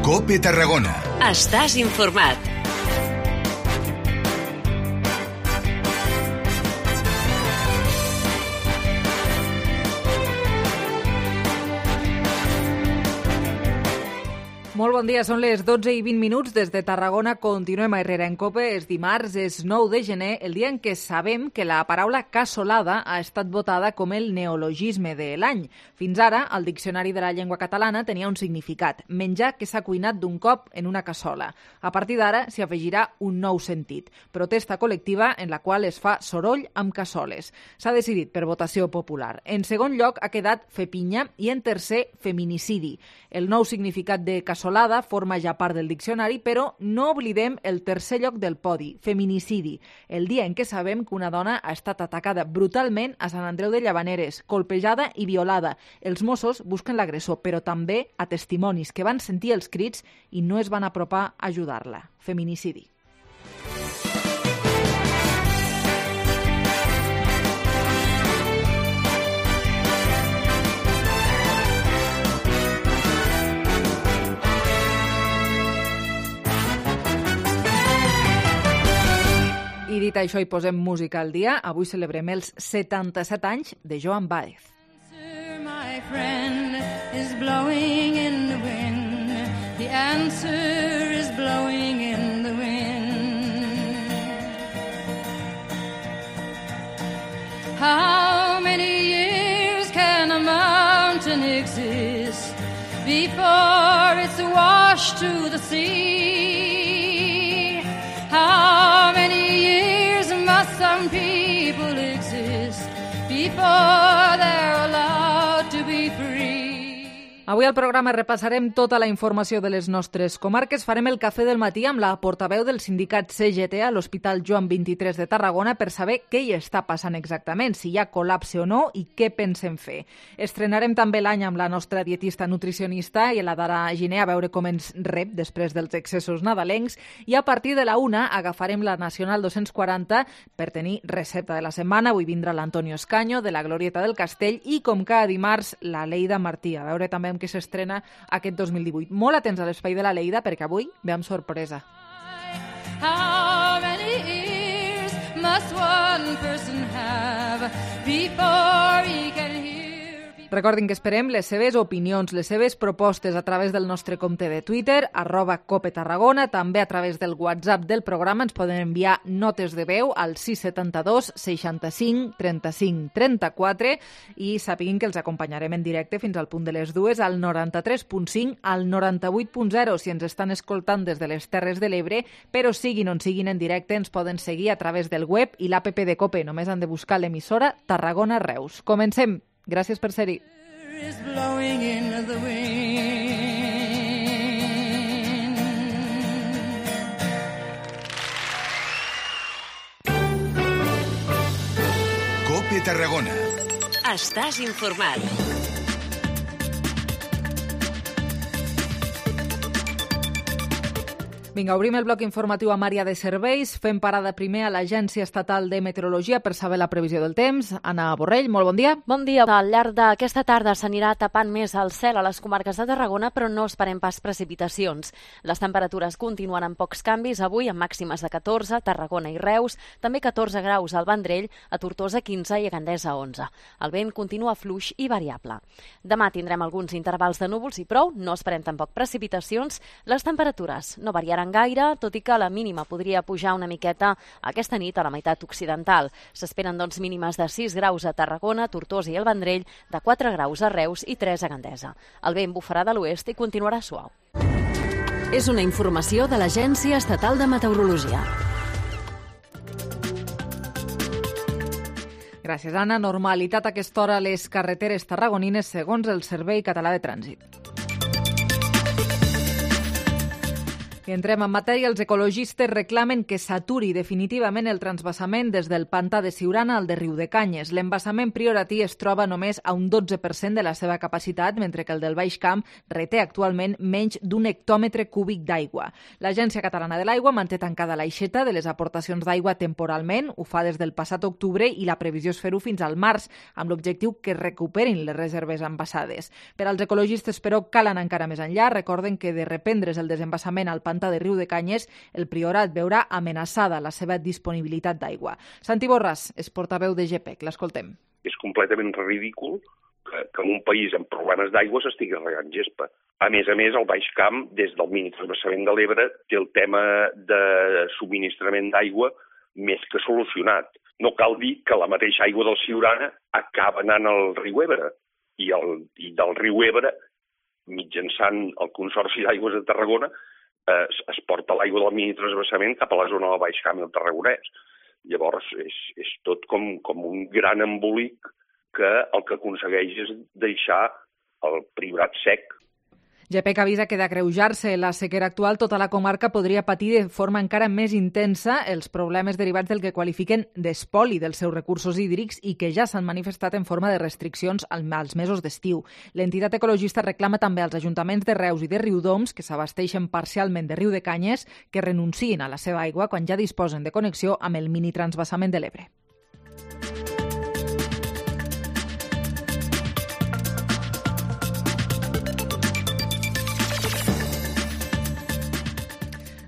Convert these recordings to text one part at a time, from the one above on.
COPE Tarragona. Estàs informat. Molt bon dia, són les 12:20 des de Tarragona. Continuem a Herrera en COPE. És dimarts, és 9 de gener, el dia en què sabem que la paraula cassolada ha estat votada com el neologisme de l'any. Fins ara, el Diccionari de la Llengua Catalana tenia un significat: menjar que s'ha cuinat d'un cop en una cassola. A partir d'ara s'hi afegirà un nou sentit: protesta col·lectiva en la qual es fa soroll amb cassoles. S'ha decidit per votació popular. En segon lloc ha quedat fer pinya i en tercer feminicidi. El nou significat de cassolada forma ja part del diccionari, però no oblidem el tercer lloc del podi, feminicidi, el dia en què sabem que una dona ha estat atacada brutalment a Sant Andreu de Llavaneres, colpejada i violada. Els Mossos busquen l'agressor, però també a testimonis que van sentir els crits i no es van apropar a ajudar-la. Feminicidi. I dit això, hi posem música al dia. Avui celebrem els 77 anys de Joan Baez. My friend is blowing in the wind. The answer is blowing in the wind. How many years can a mountain exist before it's washed to the sea? How many years must some people exist before they're allowed to be free? Avui al programa repassarem tota la informació de les nostres comarques. Farem el cafè del matí amb la portaveu del sindicat CGT a l'Hospital Joan 23 de Tarragona per saber què hi està passant exactament, si hi ha col·lapse o no i què pensem fer. Estrenarem també l'any amb la nostra dietista nutricionista i la Dara Giner a veure com ens rep després dels excessos nadalencs, i a partir de la 1 agafarem la Nacional 240 per tenir recepta de la setmana. Avui vindrà l'Antonio Escaño de la Glorieta del Castell i, com cada dimarts, la Leida Martí. A veure també que s'estrena aquest 2018. Molt atents a l'espai de la Leida perquè avui ve amb sorpresa. How many ears must one person have before he can hear? Recordin que esperem les seves opinions, les seves propostes a través del nostre compte de Twitter, @COPETarragona, també a través del WhatsApp del programa. Ens poden enviar notes de veu al 672 65 35 34 i sapiguin que els acompanyarem en directe fins al punt de les 2 al 93.5, al 98.0 si ens estan escoltant des de les Terres de l'Ebre, però siguin on siguin en directe ens poden seguir a través del web i l'APP de COPE. Només han de buscar l'emissora Tarragona Reus. Comencem. Gràcies per ser-hi. Is blowing in the wind. COPE Tarragona. Estàs informat. Vinga, obrim el bloc informatiu amb àrea de serveis. Fem parada primer a l'Agència Estatal de Meteorologia per saber la previsió del temps. Anna Borrell, molt bon dia. Bon dia. Al llarg d'aquesta tarda s'anirà tapant més el cel a les comarques de Tarragona, però no esperem pas precipitacions. Les temperatures continuen amb pocs canvis, avui amb màximes de 14 a Tarragona i Reus, també 14 graus al Vendrell, a Tortosa 15 i a Gandesa 11. El vent continua fluix i variable. Demà tindrem alguns intervals de núvols i prou, no esperem tampoc precipitacions. Les temperatures no variaran gaire, tot i que la mínima podria pujar una miqueta aquesta nit a la meitat occidental. S'esperen doncs mínimes de 6 graus a Tarragona, Tortosa i el Vendrell, de 4 graus a Reus i 3 a Gandesa. El vent bufarà de l'oest i continuarà suau. És una informació de l'Agència Estatal de Meteorologia. Gràcies, Anna. Normalitat a aquesta hora a les carreteres tarragonines segons el Servei Català de Trànsit. I entrem en matèria. Els ecologistes reclamen que s'aturi definitivament el transvasament des del pantà de Siurana al de Riudecanyes. L'embassament prioratí es troba només a un 12% de la seva capacitat, mentre que el del Baix Camp reté actualment menys d'un hectòmetre cúbic d'aigua. L'Agència Catalana de l'Aigua manté tancada l'aixeta de les aportacions d'aigua temporalment, ho fa des del passat octubre i la previsió és fer-ho fins al març, amb l'objectiu que recuperin les reserves embassades. Per als ecologistes, però, cal anar encara més enllà. Recorden que de reprendre's el desembassament al pantà de Riudecanyes, el Priorat veurà amenaçada la seva disponibilitat d'aigua. Santi Borràs és portaveu de GPEC. L'escoltem. És completament ridícul que en un país amb problemes d'aigua s'estigui regant gespa. A més, el Baix Camp, des del minitransvasament de l'Ebre, té el tema de subministrament d'aigua més que solucionat. No cal dir que la mateixa aigua del Siurana acaba anant al riu Ebre i del riu Ebre, mitjançant el Consorci d'Aigües de Tarragona, es porta l'aigua del minitransvasament cap a la zona del Baix Camp i el Tarragonès. Llavors, és tot com un gran embolic que el que aconsegueix és deixar el Priorat sec. GPEC avisa que d'agreujar-se la sequera actual, tota la comarca podria patir de forma encara més intensa els problemes derivats del que qualifiquen d'espoli dels seus recursos hídrics i que ja s'han manifestat en forma de restriccions als mesos d'estiu. L'entitat ecologista reclama també als ajuntaments de Reus i de Riudoms, que s'abasteixen parcialment de Riudecanyes, que renunciïn a la seva aigua quan ja disposen de connexió amb el minitransvasament de l'Ebre.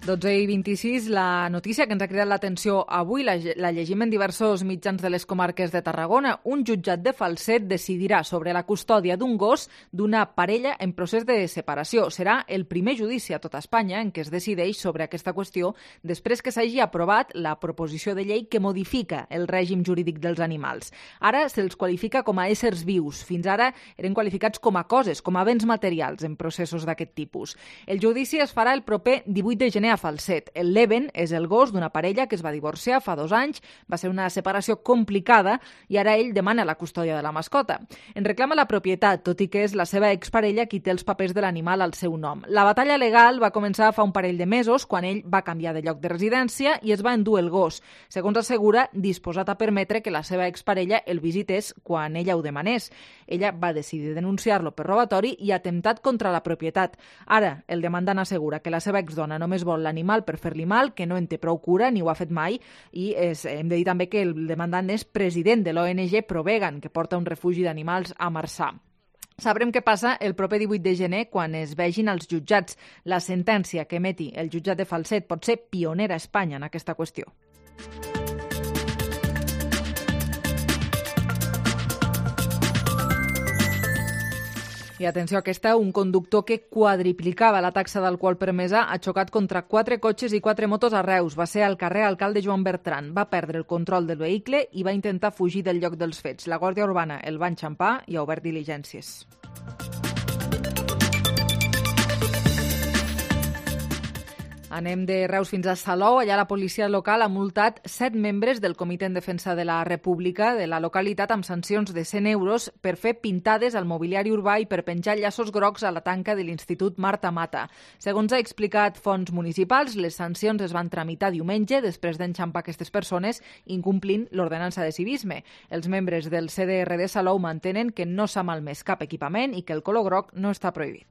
i 26, la notícia que ens ha cridat l'atenció avui la llegim en diversos mitjans de les comarques de Tarragona. Un jutjat de Falset decidirà sobre la custòdia d'un gos d'una parella en procés de separació. Serà el primer judici a tota Espanya en què es decideix sobre aquesta qüestió després que s'hagi aprovat la proposició de llei que modifica el règim jurídic dels animals. Ara se'ls qualifica com a éssers vius. Fins ara eren qualificats com a coses, com a béns materials en processos d'aquest tipus. El judici es farà el proper 18 de gener a Falset. El Leven és el gos d'una parella que es va divorciar fa 2 anys, va ser una separació complicada i ara ell demana la custòdia de la mascota. En reclama la propietat, tot i que és la seva exparella qui té els papers de l'animal al seu nom. La batalla legal va començar fa un parell de mesos quan ell va canviar de lloc de residència i es va endur el gos. Segons assegura, disposat a permetre que la seva exparella el visités quan ella ho demanés. Ella va decidir denunciar-lo per robatori i atemptat contra la propietat. Ara, el demandant assegura que la seva exdona només vol l'animal per fer-li mal, que no en té prou cura ni ho ha fet mai i hem de dir també que el demandant és president de l'ONG Provegan, que porta un refugi d'animals a Marçà. Sabrem què passa el proper 18 de gener quan es vegin als jutjats. La sentència que emeti el jutjat de Falset pot ser pionera a Espanya en aquesta qüestió. I atenció a aquesta, un conductor que quadriplicava la taxa d'alcohol permesa ha xocat contra 4 cotxes i 4 motos a Reus. Va ser al carrer Alcalde Joan Bertran. Va perdre el control del vehicle i va intentar fugir del lloc dels fets. La Guàrdia Urbana el va enxampar i ha obert diligències. Anem de Reus fins a Salou. Allà la policia local ha multat 7 membres del Comitè en Defensa de la República de la localitat amb sancions de 100 euros per fer pintades al mobiliari urbà i per penjar llaços grocs a la tanca de l'Institut Marta Mata. Segons ha explicat fonts municipals, les sancions es van tramitar diumenge després d'enxampar aquestes persones incomplint l'ordenança de civisme. Els membres del CDR de Salou mantenen que no s'ha malmès cap equipament i que el color groc no està prohibit.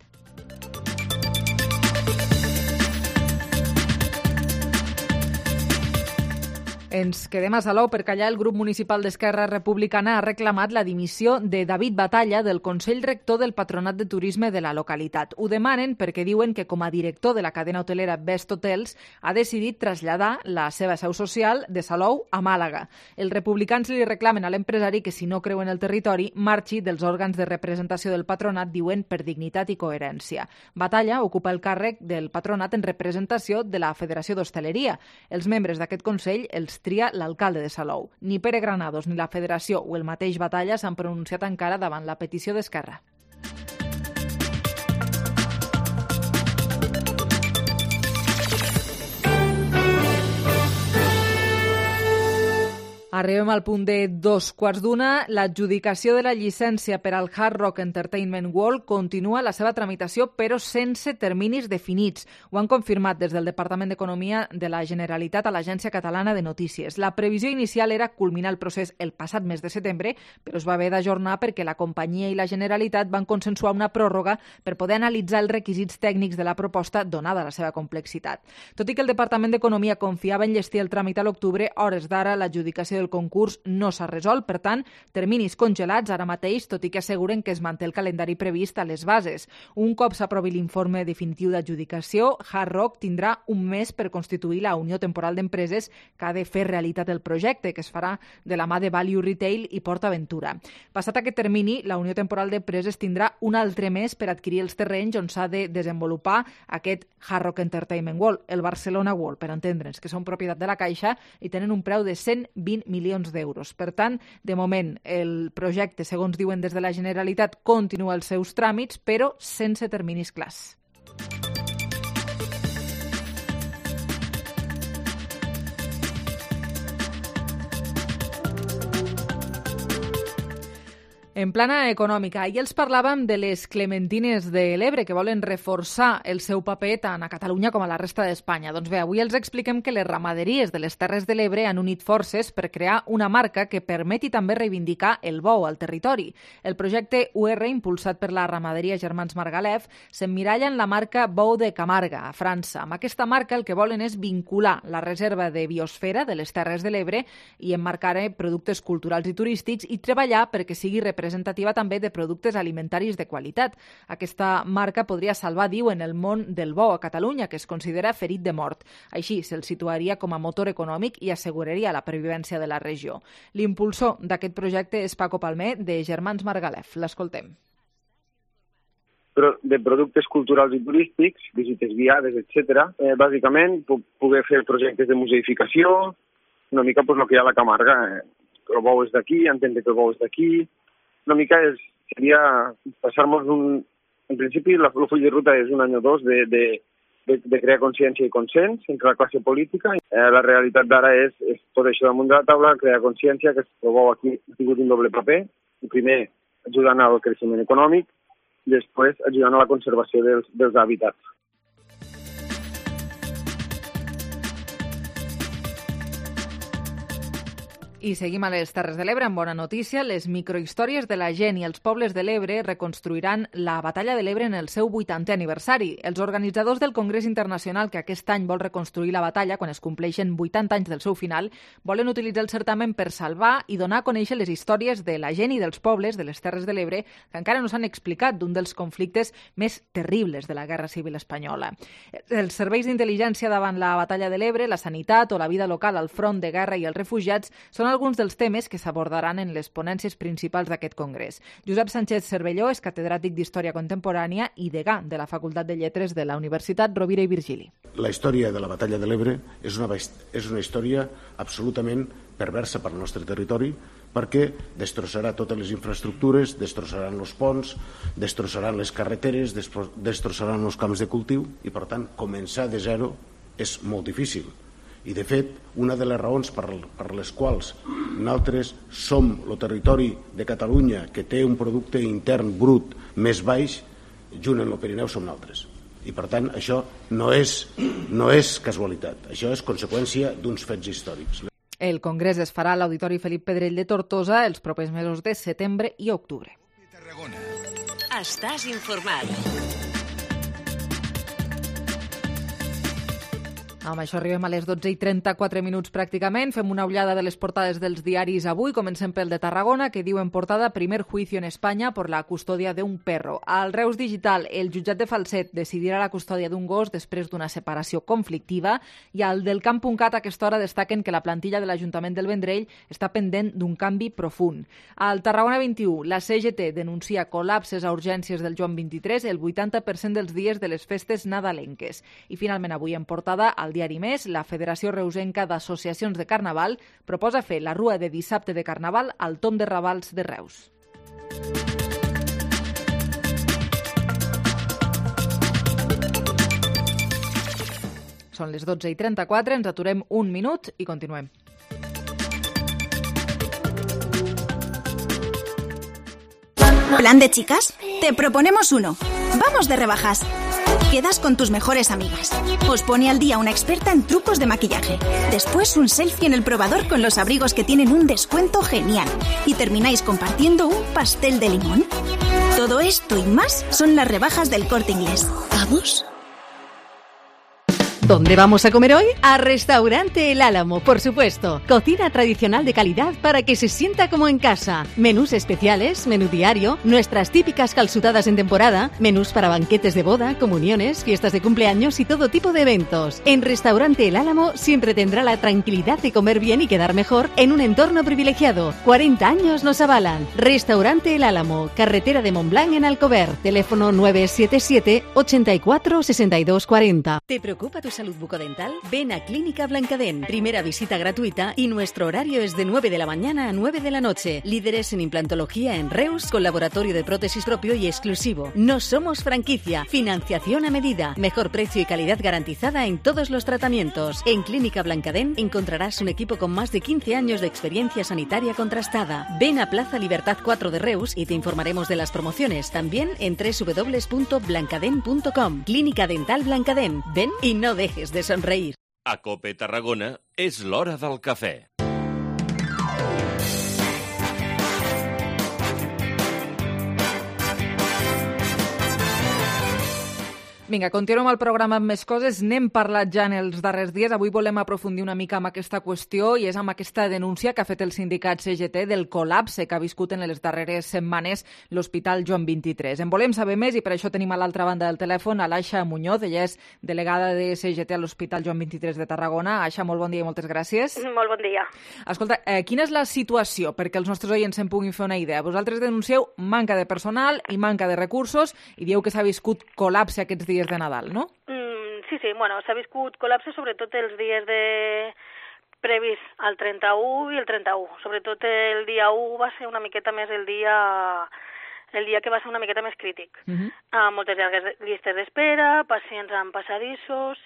Ens quedem a Salou perquè allà el grup municipal d'Esquerra Republicana ha reclamat la dimissió de David Batalla del Consell Rector del Patronat de Turisme de la localitat. Ho demanen perquè diuen que com a director de la cadena hotelera Best Hotels ha decidit traslladar la seva seu social de Salou a Màlaga. Els republicans li reclamen a l'empresari que si no creu en el territori marxi dels òrgans de representació del patronat, diuen per dignitat i coherència. Batalla ocupa el càrrec del patronat en representació de la Federació d'Hostaleria. Els membres d'aquest consell els tria l'alcalde de Salou. Ni Pere Granados ni la Federació o el mateix Batalla s'han pronunciat encara davant la petició d'Esquerra. Arribem al punt de 2:15. L'adjudicació de la llicència per al Hard Rock Entertainment World continua la seva tramitació, però sense terminis definits. Ho han confirmat des del Departament d'Economia de la Generalitat a l'Agència Catalana de Notícies. La previsió inicial era culminar el procés el passat mes de setembre, però es va haver d'ajornar perquè la companyia i la Generalitat van consensuar una pròrroga per poder analitzar els requisits tècnics de la proposta, donada la seva complexitat. Tot i que el Departament d'Economia confiava en llestir el tràmit a l'octubre, hores d'ara l'adjudicació del concurs no s'ha resolt, per tant, terminis congelats ara mateix, tot i que asseguren que es manté el calendari previst a les bases. Un cop s'aprovi l'informe definitiu d'adjudicació, Hard Rock tindrà un mes per constituir la Unió Temporal d'Empreses que ha de fer realitat el projecte, que es farà de la mà de Value Retail i PortAventura. Passat aquest termini, la Unió Temporal d'Empreses tindrà un altre mes per adquirir els terrenys on s'ha de desenvolupar aquest Hard Rock Entertainment World, el Barcelona World, per entendre'ns, que són propietat de la Caixa i tenen un preu de 120 milions d'euros. Per tant, de moment, el projecte, segons diuen des de la Generalitat, continua els seus tràmits, però sense terminis clars. En plana econòmica, ahir els parlàvem de les clementines de l'Ebre, que volen reforçar el seu paper tant a Catalunya com a la resta d'Espanya. Doncs bé, avui els expliquem que les ramaderies de les Terres de l'Ebre han unit forces per crear una marca que permeti també reivindicar el bou al territori. El projecte UR, impulsat per la ramaderia Germans Margalef, s'emmiralla en la marca Bou de Camarga, a França. Amb aquesta marca el que volen és vincular la reserva de biosfera de les Terres de l'Ebre i emmarcar productes culturals i turístics i treballar perquè sigui representativa també de productes alimentaris de qualitat. Aquesta marca podria salvar, diuen, el món del bou a Catalunya, que es considera ferit de mort. Així, se'l situaria com a motor econòmic i asseguraria la pervivència de la regió. L'impulsor d'aquest projecte és Paco Palmer, de Germans Margalef. L'escoltem. Però de productes culturals i turístics, visites guiades, etc. Bàsicament, poder fer projectes de museificació, una mica pues, el que hi ha a la Camarga. El bou és d'aquí, entendre que el bou és d'aquí. Una mica seria passar-nos en principi, el full de ruta és un any o dos de crear consciència i consens entre la classe política. La realitat d'ara és tot això damunt de la taula, crear consciència, que el bou aquí ha tingut un doble paper. Primer, ajudant al creixement econòmic, després ajudant a la conservació dels hàbitats. I seguim a les Terres de l'Ebre amb bona notícia. Les microhistòries de la gent i els pobles de l'Ebre reconstruiran la Batalla de l'Ebre en el seu 80è aniversari. Els organitzadors del Congrés Internacional, que aquest any vol reconstruir la batalla quan es compleixen 80 anys del seu final, volen utilitzar el certamen per salvar i donar a conèixer les històries de la gent i dels pobles de les Terres de l'Ebre que encara no s'han explicat, d'un dels conflictes més terribles de la Guerra Civil Espanyola. Els serveis d'intel·ligència davant la Batalla de l'Ebre, la sanitat o la vida local al front de guerra i els refugiats són alguns dels temes que s'abordaran en les ponències principals d'aquest congrés. Josep Sánchez Cervelló és catedràtic d'Història Contemporània i degà de la Facultat de Lletres de la Universitat Rovira i Virgili. La història de la Batalla de l'Ebre és una història absolutament perversa per al nostre territori, perquè destrossarà totes les infraestructures, destrossaran els ponts, destrossaran les carreteres, destrossaran els camps de cultiu i, per tant, començar de zero és molt difícil. I, de fet, una de les raons per les quals nosaltres som el territori de Catalunya que té un producte intern brut més baix, junt amb el Pirineu som nosaltres. I, per tant, això no és casualitat, això és conseqüència d'uns fets històrics. El congrés es farà a l'Auditori Felip Pedrell de Tortosa els propers mesos de setembre i octubre. Estàs informat. Amb això arribem a les 12:34 pràcticament. Fem una ullada de les portades dels diaris avui. Comencem pel de Tarragona, que diu en portada primer juicio en Espanya por la custodia de un perro. Al Reus Digital, el jutjat de Falset decidirà la custòdia d'un gos després d'una separació conflictiva, i al del Camp.cat a aquesta hora destaquen que la plantilla de l'Ajuntament del Vendrell està pendent d'un canvi profund. Al Tarragona 21, la CGT denuncia col·lapses a urgències del Joan 23 el 80% dels dies de les festes nadalenques. I finalment avui en portada, al diari Més, la Federació Reusenca d'Associacions de Carnaval proposa fer la rua de dissabte de Carnaval al Tom de Ravals de Reus. Són les 12:34, ens aturem un minut i continuem. ¿Plan de chicas? Te proponemos uno. Vamos de rebajas. Quedas con tus mejores amigas. Os pone al día una experta en trucos de maquillaje. Después un selfie en el probador con los abrigos que tienen un descuento genial. Y termináis compartiendo un pastel de limón. Todo esto y más son las rebajas del Corte Inglés. ¿Vamos? ¿Dónde vamos a comer hoy? A Restaurante El Álamo, por supuesto. Cocina tradicional de calidad para que se sienta como en casa. Menús especiales, menú diario, nuestras típicas calzutadas en temporada, menús para banquetes de boda, comuniones, fiestas de cumpleaños y todo tipo de eventos. En Restaurante El Álamo siempre tendrá la tranquilidad de comer bien y quedar mejor en un entorno privilegiado. 40 años nos avalan. Restaurante El Álamo, carretera de Montblanc en Alcover. Teléfono 977 84 62 40. ¿Te preocupa tu salud bucodental? Ven a Clínica Blancadent. Primera visita gratuita y nuestro horario es de 9 de la mañana a 9 de la noche. Líderes en implantología en Reus, con laboratorio de prótesis propio y exclusivo. No somos franquicia. Financiación a medida. Mejor precio y calidad garantizada en todos los tratamientos. En Clínica Blancadent encontrarás un equipo con más de 15 años de experiencia sanitaria contrastada. Ven a Plaza Libertad 4 de Reus y te informaremos de las promociones. También en www.blancadent.com. Clínica Dental Blancadent. Ven y no dejes de sonreír. A Cope Tarragona és l'hora del cafè. Vinga, continuem el programa amb més coses. N'hem parlat ja en els darrers dies. Avui volem aprofundir una mica amb aquesta qüestió i és amb aquesta denúncia que ha fet el sindicat CGT del col·lapse que ha viscut en les darreres setmanes l'Hospital Joan 23. En volem saber més i per això tenim a l'altra banda del telèfon a l'Aixa Muñoz. Ella és delegada de CGT a l'Hospital Joan 23 de Tarragona. Aixa, molt bon dia i moltes gràcies. Molt bon dia. Escolta, quina és la situació perquè els nostres oients se'n puguin fer una idea? Vosaltres denuncieu manca de personal i manca de recursos i dieu que s'ha viscut col·lapse aquests dies de Nadal, no? Sí, bueno, s'ha viscut col·lapse sobretot els dies previs al 31 i el 31. Sobretot el dia 1 va ser una miqueta més el dia que va ser una miqueta més crític. Moltes llargues llistes d'espera, pacients amb passadissos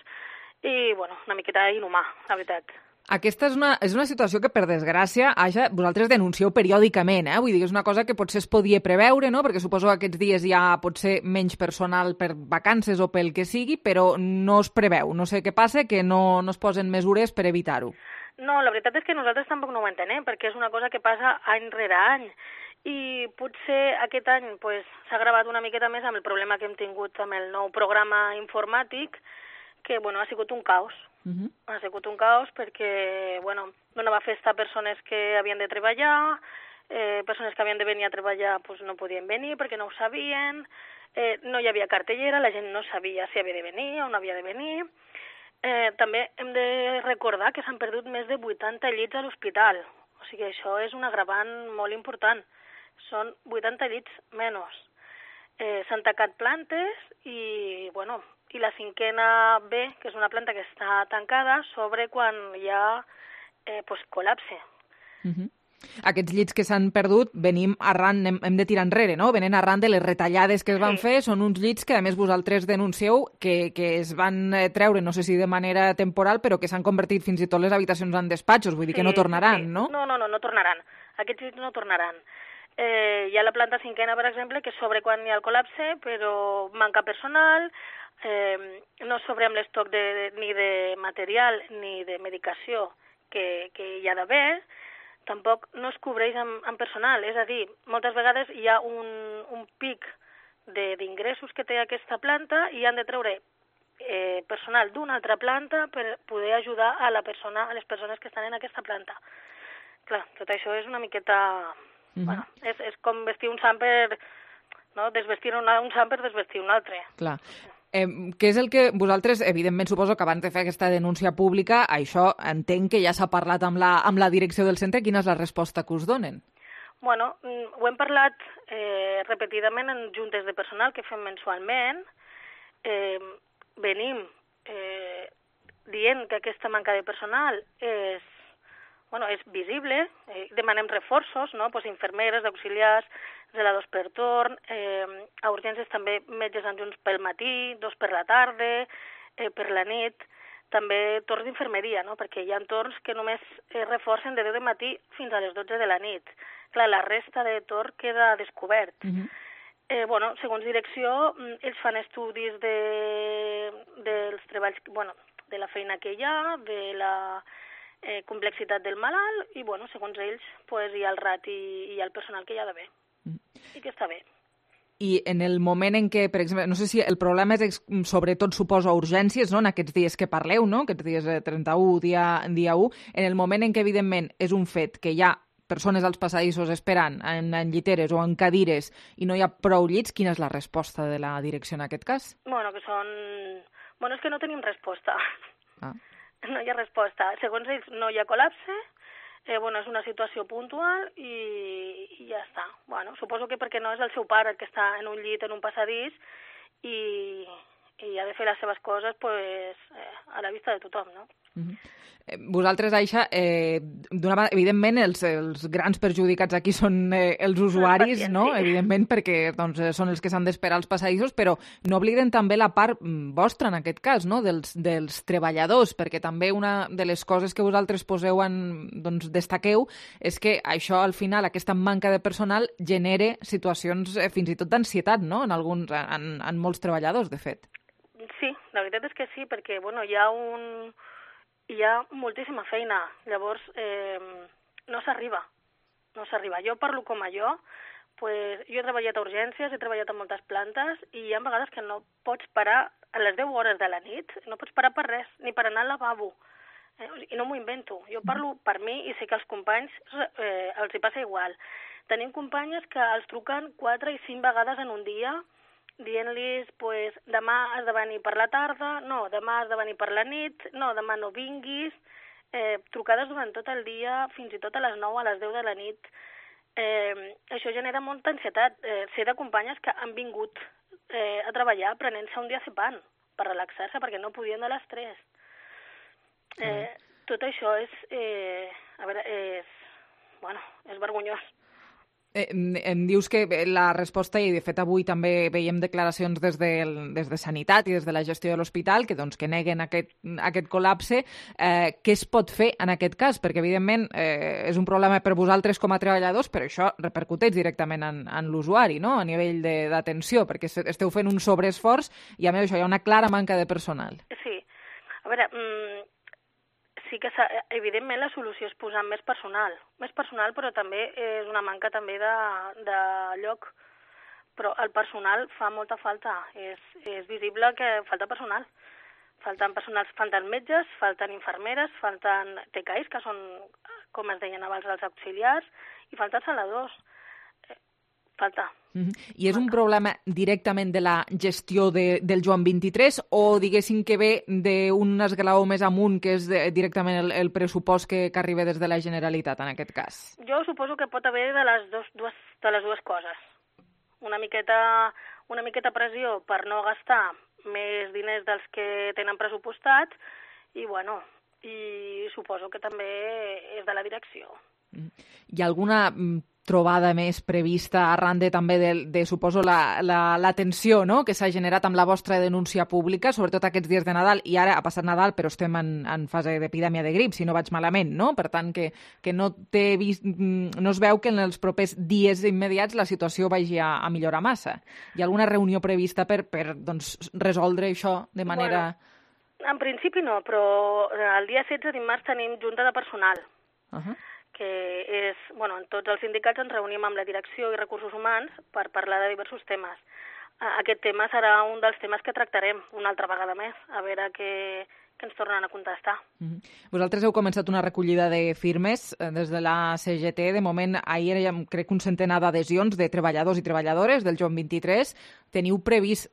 i, bueno, una miqueta inhumà, la veritat. Aquesta és una situació que, per desgràcia, Aixa, vosaltres denuncieu periòdicament, Vull dir, és una cosa que potser es podia preveure, no? Perquè suposo que aquests dies hi ha potser menys personal per vacances o pel que sigui, però no es preveu. No sé què passa, que no es posen mesures per evitar-ho. No, la veritat és que nosaltres tampoc no ho entenem, perquè és una cosa que passa any rere any. I potser aquest any s'ha agravat una miqueta més amb el problema que hem tingut amb el nou programa informàtic, que ha sigut un caos. Ha sigut un caos perquè donava festa a persones que havien de treballar, persones que havien de venir a treballar no podien venir perquè no ho sabien, no hi havia cartellera, la gent no sabia si havia de venir o no havia de venir. També hem de recordar que s'han perdut més de 80 llits a l'hospital, o sigui, això és un agravant molt important, són 80 llits menys. S'han tancat plantes i, i la 5ª B, que és una planta que està tancada, sobre quan hi ha col·lapse. Aquests llits que s'han perdut venim arran, hem de tirar enrere, no? Venen arran de les retallades que es van fer, són uns llits que a més vosaltres denuncieu que es van treure, no sé si de manera temporal, però que s'han convertit fins i tot les habitacions en despatxos, vull dir que no tornaran, no? No tornaran, aquests llits no tornaran. Hi ha la planta 5ª, per exemple, que sobre quan hi ha el col·lapse, però manca personal, no sobre amb l'estoc ni de material ni de medicació que hi ha d'haver, tampoc no es cobreix amb personal, és a dir, moltes vegades hi ha un pic d'ingressos que té aquesta planta i han de treure personal d'una altra planta per poder ajudar a les persones que estan en aquesta planta. Clar, tot això és una miqueta... és com vestir un samper, no? Desvestir un samper, desvestir un altre. Clar. Què és el que vosaltres, evidentment, suposo que abans de fer aquesta denúncia pública, això entenc que ja s'ha parlat amb la direcció del centre. Quina és la resposta que us donen? Bueno, ho hem parlat repetidament en juntes de personal que fem mensualment. Venim dient que aquesta manca de personal és visible, demanem reforços, no? Infermeres, auxiliars, zeladors per torn, a urgències també metges adjunts pel matí, 2 per la tarda, per la nit. també torns d'infermeria, no? Perquè hi ha torns que només es reforcen de 10 del matí fins a les 12 de la nit. Clar, la resta de torn queda descobert. Segons direcció, ells fan estudis dels treballs, de la feina que hi ha, de la complexitat del malalt, i, segons ells, hi ha el rati i hi ha el personal que hi ha d'haver. I que està bé. I en el moment en què, per exemple, no sé si el problema és sobretot suposa urgències, no?, en aquests dies que parleu, no?, aquests dies 31, dia 1, en el moment en què, evidentment, és un fet que hi ha persones als passadissos esperant en lliteres o en cadires i no hi ha prou llits, quina és la resposta de la direcció en aquest cas? És que no tenim resposta. No hi ha resposta. Segons ells, no hi ha col·lapse, és una situació puntual i ja està. Suposo que perquè no és el seu pare el que està en un llit, en un passadís, i ha de fer les seves coses a la vista de tothom, no? Vosaltres, Aixa, evidentment els grans perjudicats aquí són els usuaris, no? Evidentment, perquè són els que s'han d'esperar als passadissos, però no obliden també la part vostra, en aquest cas, no?, dels treballadors, perquè també una de les coses que vosaltres destaqueu és que això, al final, aquesta manca de personal genera situacions fins i tot d'ansietat, no?, en molts treballadors, de fet. Sí, la veritat és que sí, perquè hi ha moltíssima feina, llavors no s'arriba. Jo parlo com a jo, jo he treballat a urgències, he treballat a moltes plantes i hi ha vegades que no pots parar a les 10 hores de la nit, no pots parar per res, ni per anar al lavabo, i no m'ho invento. Jo parlo per mi i sé que als companys els hi passa igual. Tenim companyes que els truquen 4 i 5 vegades en un dia, dient-los, demà has de venir per la tarda, no, demà has de venir per la nit, no, demà no vinguis, trucades durant tot el dia, fins i tot a les 9, a les 10 de la nit. Això genera molta ansietat. Sé de companyes que han vingut a treballar prenent-se un diazepam per relaxar-se perquè no podien de l'estrès. Tot això és vergonyós. Em dius que la resposta, i de fet avui també veiem declaracions des de Sanitat i des de la gestió de l'hospital que neguen aquest col·lapse. Què es pot fer en aquest cas? Perquè, evidentment, és un problema per vosaltres com a treballadors, però això repercuteix directament en l'usuari, no?, a nivell d'atenció, perquè esteu fent un sobreesforç i, a més, això hi ha una clara manca de personal. Sí. A veure, sí que evidentment la solució és posar més personal, però també és una manca també de lloc. Però el personal fa molta falta, és visible que falta personal. Falten metges, falten infermeres, falten TKIs, que són, com es deien abans, els auxiliars, i falten saladors. Falta. I és un problema directament de la gestió del Joan 23 o diguéssim que ve d'un esglaó més amunt, que és directament el pressupost que arriba des de la Generalitat, en aquest cas? Jo suposo que pot haver de les dues coses. Una miqueta pressió per no gastar més diners dels que tenen pressupostat i suposo que també és de la direcció. Hi ha alguna trobada més prevista arran també de suposo, la tensió, no?, que s'ha generat amb la vostra denúncia pública, sobretot aquests dies de Nadal, i ara ha passat Nadal, però estem en fase d'epidèmia de grip, si no vaig malament, no? Per tant, que no es veu que en els propers dies immediats la situació vagi a millorar massa. Hi ha alguna reunió prevista per resoldre això de manera... En principi no, però el dia 16 dimarts tenim junta de personal. Que és, en tots els sindicats ens reunim amb la direcció i recursos humans per parlar de diversos temes. Aquest tema serà un dels temes que tractarem una altra vegada més, a veure què ens tornen a contestar. Vosaltres heu començat una recollida de firmes des de la CGT. De moment, ahir era, crec, un centenar d'adhesions de treballadors i treballadores del Joan 23. Teniu previst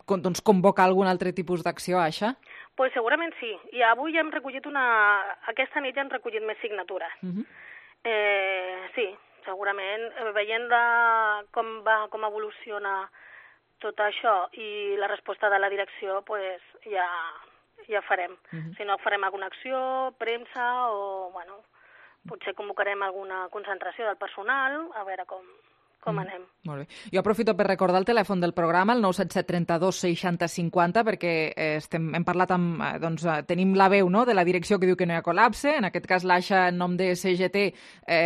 convocar algun altre tipus d'acció, Aixa? Pues segurament sí. I avui ja hem recollit aquesta nit ja hem recollit més signatures. Sí, segurament. Veient com evoluciona tot això i la resposta de la direcció, pues ja farem. Si no, farem alguna acció, premsa o, potser convocarem alguna concentració del personal, a veure com com anem. Molt bé. Jo aprofito per recordar el telèfon del programa, el 977 32 60 50, perquè hem parlat amb... tenim la veu, no?, de la direcció que diu que no hi ha col·lapse. En aquest cas, l'Aixa, en nom de CGT,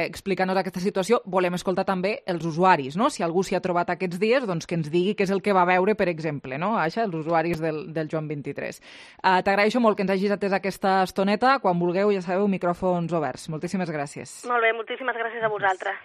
explica-nos aquesta situació. Volem escoltar també els usuaris, no? Si algú s'hi ha trobat aquests dies, doncs que ens digui què és el que va veure, per exemple, no, Aixa, els usuaris del Joan 23. T'agraeixo molt que ens hagis atès aquesta estoneta. Quan vulgueu, ja sabeu, micròfons oberts. Moltíssimes gràcies. Molt bé, moltíssimes gràcies a vosaltres.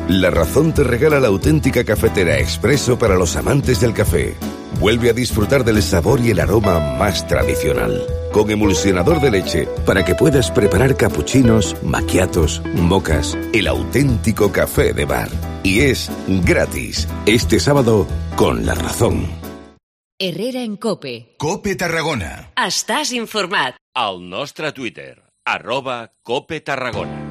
La Razón te regala la auténtica cafetera expreso para los amantes del café. Vuelve a disfrutar del sabor y el aroma más tradicional. Con emulsionador de leche para que puedas preparar capuchinos, macchiatos, mocas, el auténtico café de bar. Y es gratis. Este sábado con La Razón. Herrera en COPE. COPE Tarragona. Estàs informat. Al nostre Twitter, @COPE Tarragona.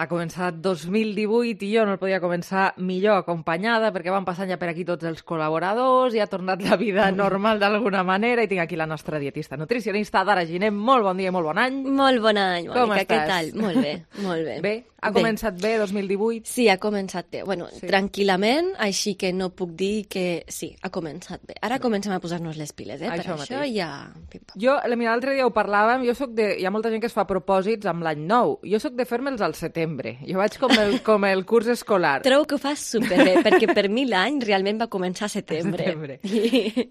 Ha començat 2018 i jo no el podia començar millor acompanyada perquè van passant ja per aquí tots els col·laboradors i ha tornat la vida normal d'alguna manera i tinc aquí la nostra dietista nutricionista, Dara Giner. Molt bon dia i molt bon any. Molt bon any, Mònica. Com estàs? Què tal? Molt bé, molt bé. Bé? Ha començat bé 2018? Sí, ha començat bé. Bueno, sí. Tranquil·lament, així que no puc dir que sí, ha començat bé. Ara comencem a posar-nos les piles, Això per això ja... Jo, l'altre dia ho parlàvem, hi ha molta gent que es fa propòsits amb l'any nou. Jo soc de fer-me'ls al setembre. Jo vaig com el curs escolar. Trobo que ho fas superbé, perquè per mi l'any realment va començar a setembre.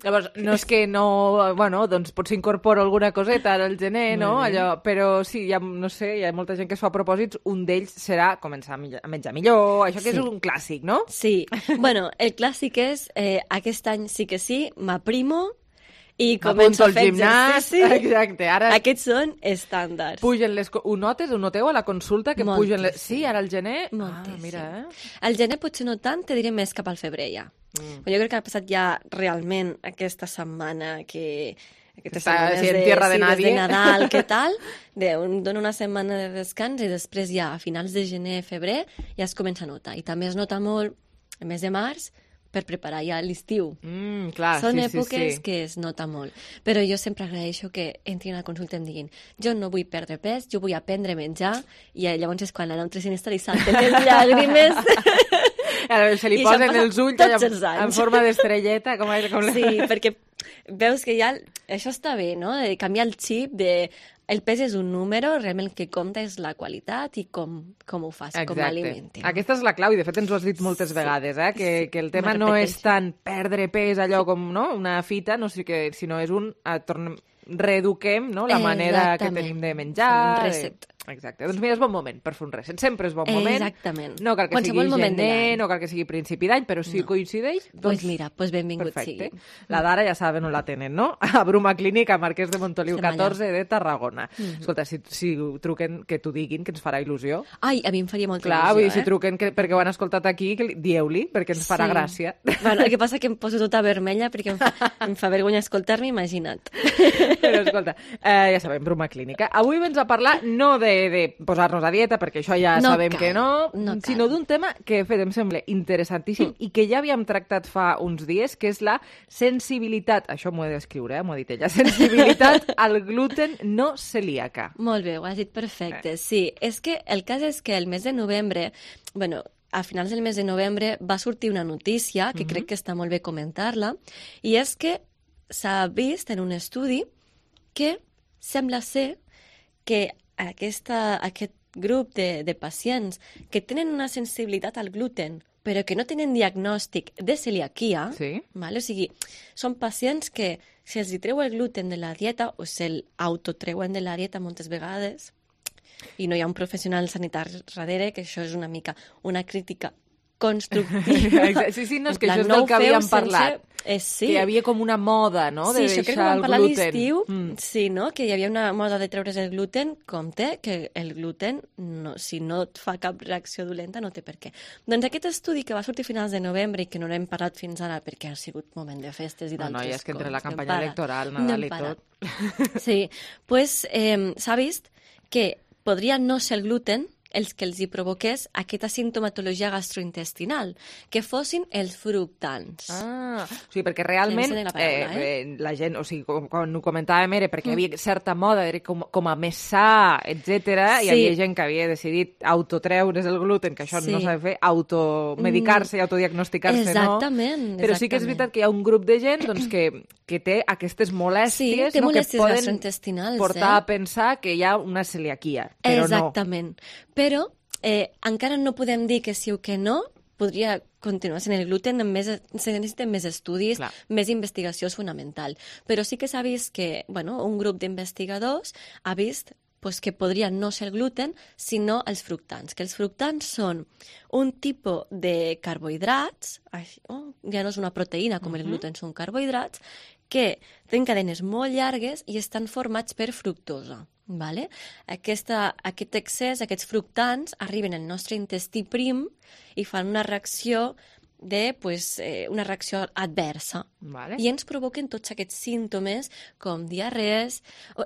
Llavors, no és que no... Bueno, doncs potser incorporo alguna coseta al gener, no? Allò, però sí, no sé, hi ha molta gent que es fa propòsits. Un d'ells serà començar a menjar millor, això que és un clàssic, no? Sí. Bueno, el clàssic és aquest any sí que sí, m'aprimo i començo a fer exercici. Exacte. Ara... Aquests són estàndards. Pugen les... Ho notes? Ho noteu a la consulta? Que Moltíssim. Pugen les... Sí, ara al gener... Moltíssim. Mira, Al gener potser no tant, te diré més cap al febrer ja. Jo crec que ha passat ja realment aquesta setmana que... Està en tierra de nadie. Des de Nadal, què tal? Dona una setmana de descans i després ja a finals de gener, febrer, ja es comença a notar. I també es nota molt el mes de març per preparar ja l'estiu. Clar, Són sí, èpoques sí. que es nota molt. Però jo sempre agraeixo que entrin a la consulta i em diguin jo no vull perdre pes, jo vull aprendre a menjar, i llavors és quan la nutricionista li salten les llàgrimes. Se li posen els ulls en forma d'estrelleta. Sí, perquè veus que ja això està bé, no? De canviar el xip de... El pes és un número, realment el que compta és la qualitat i com ho fas, com alimenti. Aquesta és la clau, i de fet ens ho has dit moltes vegades, que el tema no és tant perdre pes allò com una fita, sinó és reeduquem la manera que tenim de menjar. Un reset. Exacte. Doncs mira, és bon moment per fer un reset. Sempre és bon moment. Exactament. No cal que sigui gener, no cal que sigui principi d'any, però si coincideix... Doncs mira, benvingut perfecte. sigui. La Dara ja saben on la tenen, no? A Bruma Clínica, Marquès de Montoliu 14 de Tarragona. Escolta, si truquen, que t'ho diguin, que ens farà il·lusió. Ai, a mi em faria molta il·lusió. Clar, vull dir, si truquen perquè ho han escoltat aquí, dieu-li, perquè ens farà gràcia. Bueno, el que passa que em poso tota vermella perquè em fa vergonya escoltar-me, imagina't. Però escolta, ja sabem, Bruma Clínica. Avui vens a parlar no de posar-nos a dieta, perquè això ja sabem que no, sinó d'un tema que, de fet, em sembla interessantíssim i que ja havíem tractat fa uns dies, que és la sensibilitat, això m'ho he d'escriure, m'ho ha dit ella, sensibilitat al gluten no celíaca. Molt bé, ho has dit perfecte, sí. És que el cas és que el mes de novembre, a finals del mes de novembre va sortir una notícia que crec que està molt bé comentar-la, i és que s'ha vist en un estudi que sembla ser que aquest grup de pacients que tenen una sensibilitat al gluten però que no tenen diagnòstic de celiaquia, o sigui, són pacients que si els treu el gluten de la dieta o se'l autotreuen de la dieta moltes vegades i no hi ha un professional sanitari darrere, que això és una mica una crítica constructiva. Sí, no, és que això és del que havíem parlat. Sí. Que hi havia com una moda, no?, de deixar el gluten. Sí, això crec que vam parlar l'estiu, sí, no?, que hi havia una moda de treure's el gluten, compte que el gluten, si no et fa cap reacció dolenta, no té per què. Doncs aquest estudi que va sortir a finals de novembre i que no n'hem parlat fins ara perquè ha sigut moment de festes i d'altres coses. No, és que entre la campanya electoral, Nadal i tot. Sí, doncs s'ha vist que podria no ser el gluten els que els hi provoqués aquesta sintomatologia gastrointestinal, que fossin els fructans. O sigui, perquè realment la gent, o sigui, quan ho comentàvem era perquè hi havia certa moda, era com a més sa, etc. Hi havia gent que havia decidit autotreure's el gluten, que això no s'ha de fer, automedicar-se i autodiagnosticar-se, no? Exactament. Però sí que és veritat que hi ha un grup de gent doncs, que té aquestes molèsties, té molèsties que poden gastrointestinals, portar a pensar que hi ha una celiaquia, però Exactament. Però encara no podem dir que sí o que no, podria continuar sent el gluten, se necessiten més estudis, més investigació és fonamental. Però sí que s'ha vist que un grup d'investigadors ha vist que podria no ser el gluten, sinó els fructans. Que els fructans són un tipus de carbohidrats, ja no és una proteïna com el gluten, són carbohidrats, que tenen cadenes molt llargues i estan formats per fructosa. Vale? Aquest excés, aquests fructans, arriben al nostre intestí prim i fan una reacció una reacció adversa. Vale. I ens provoquen tots aquests símptomes com diarrees,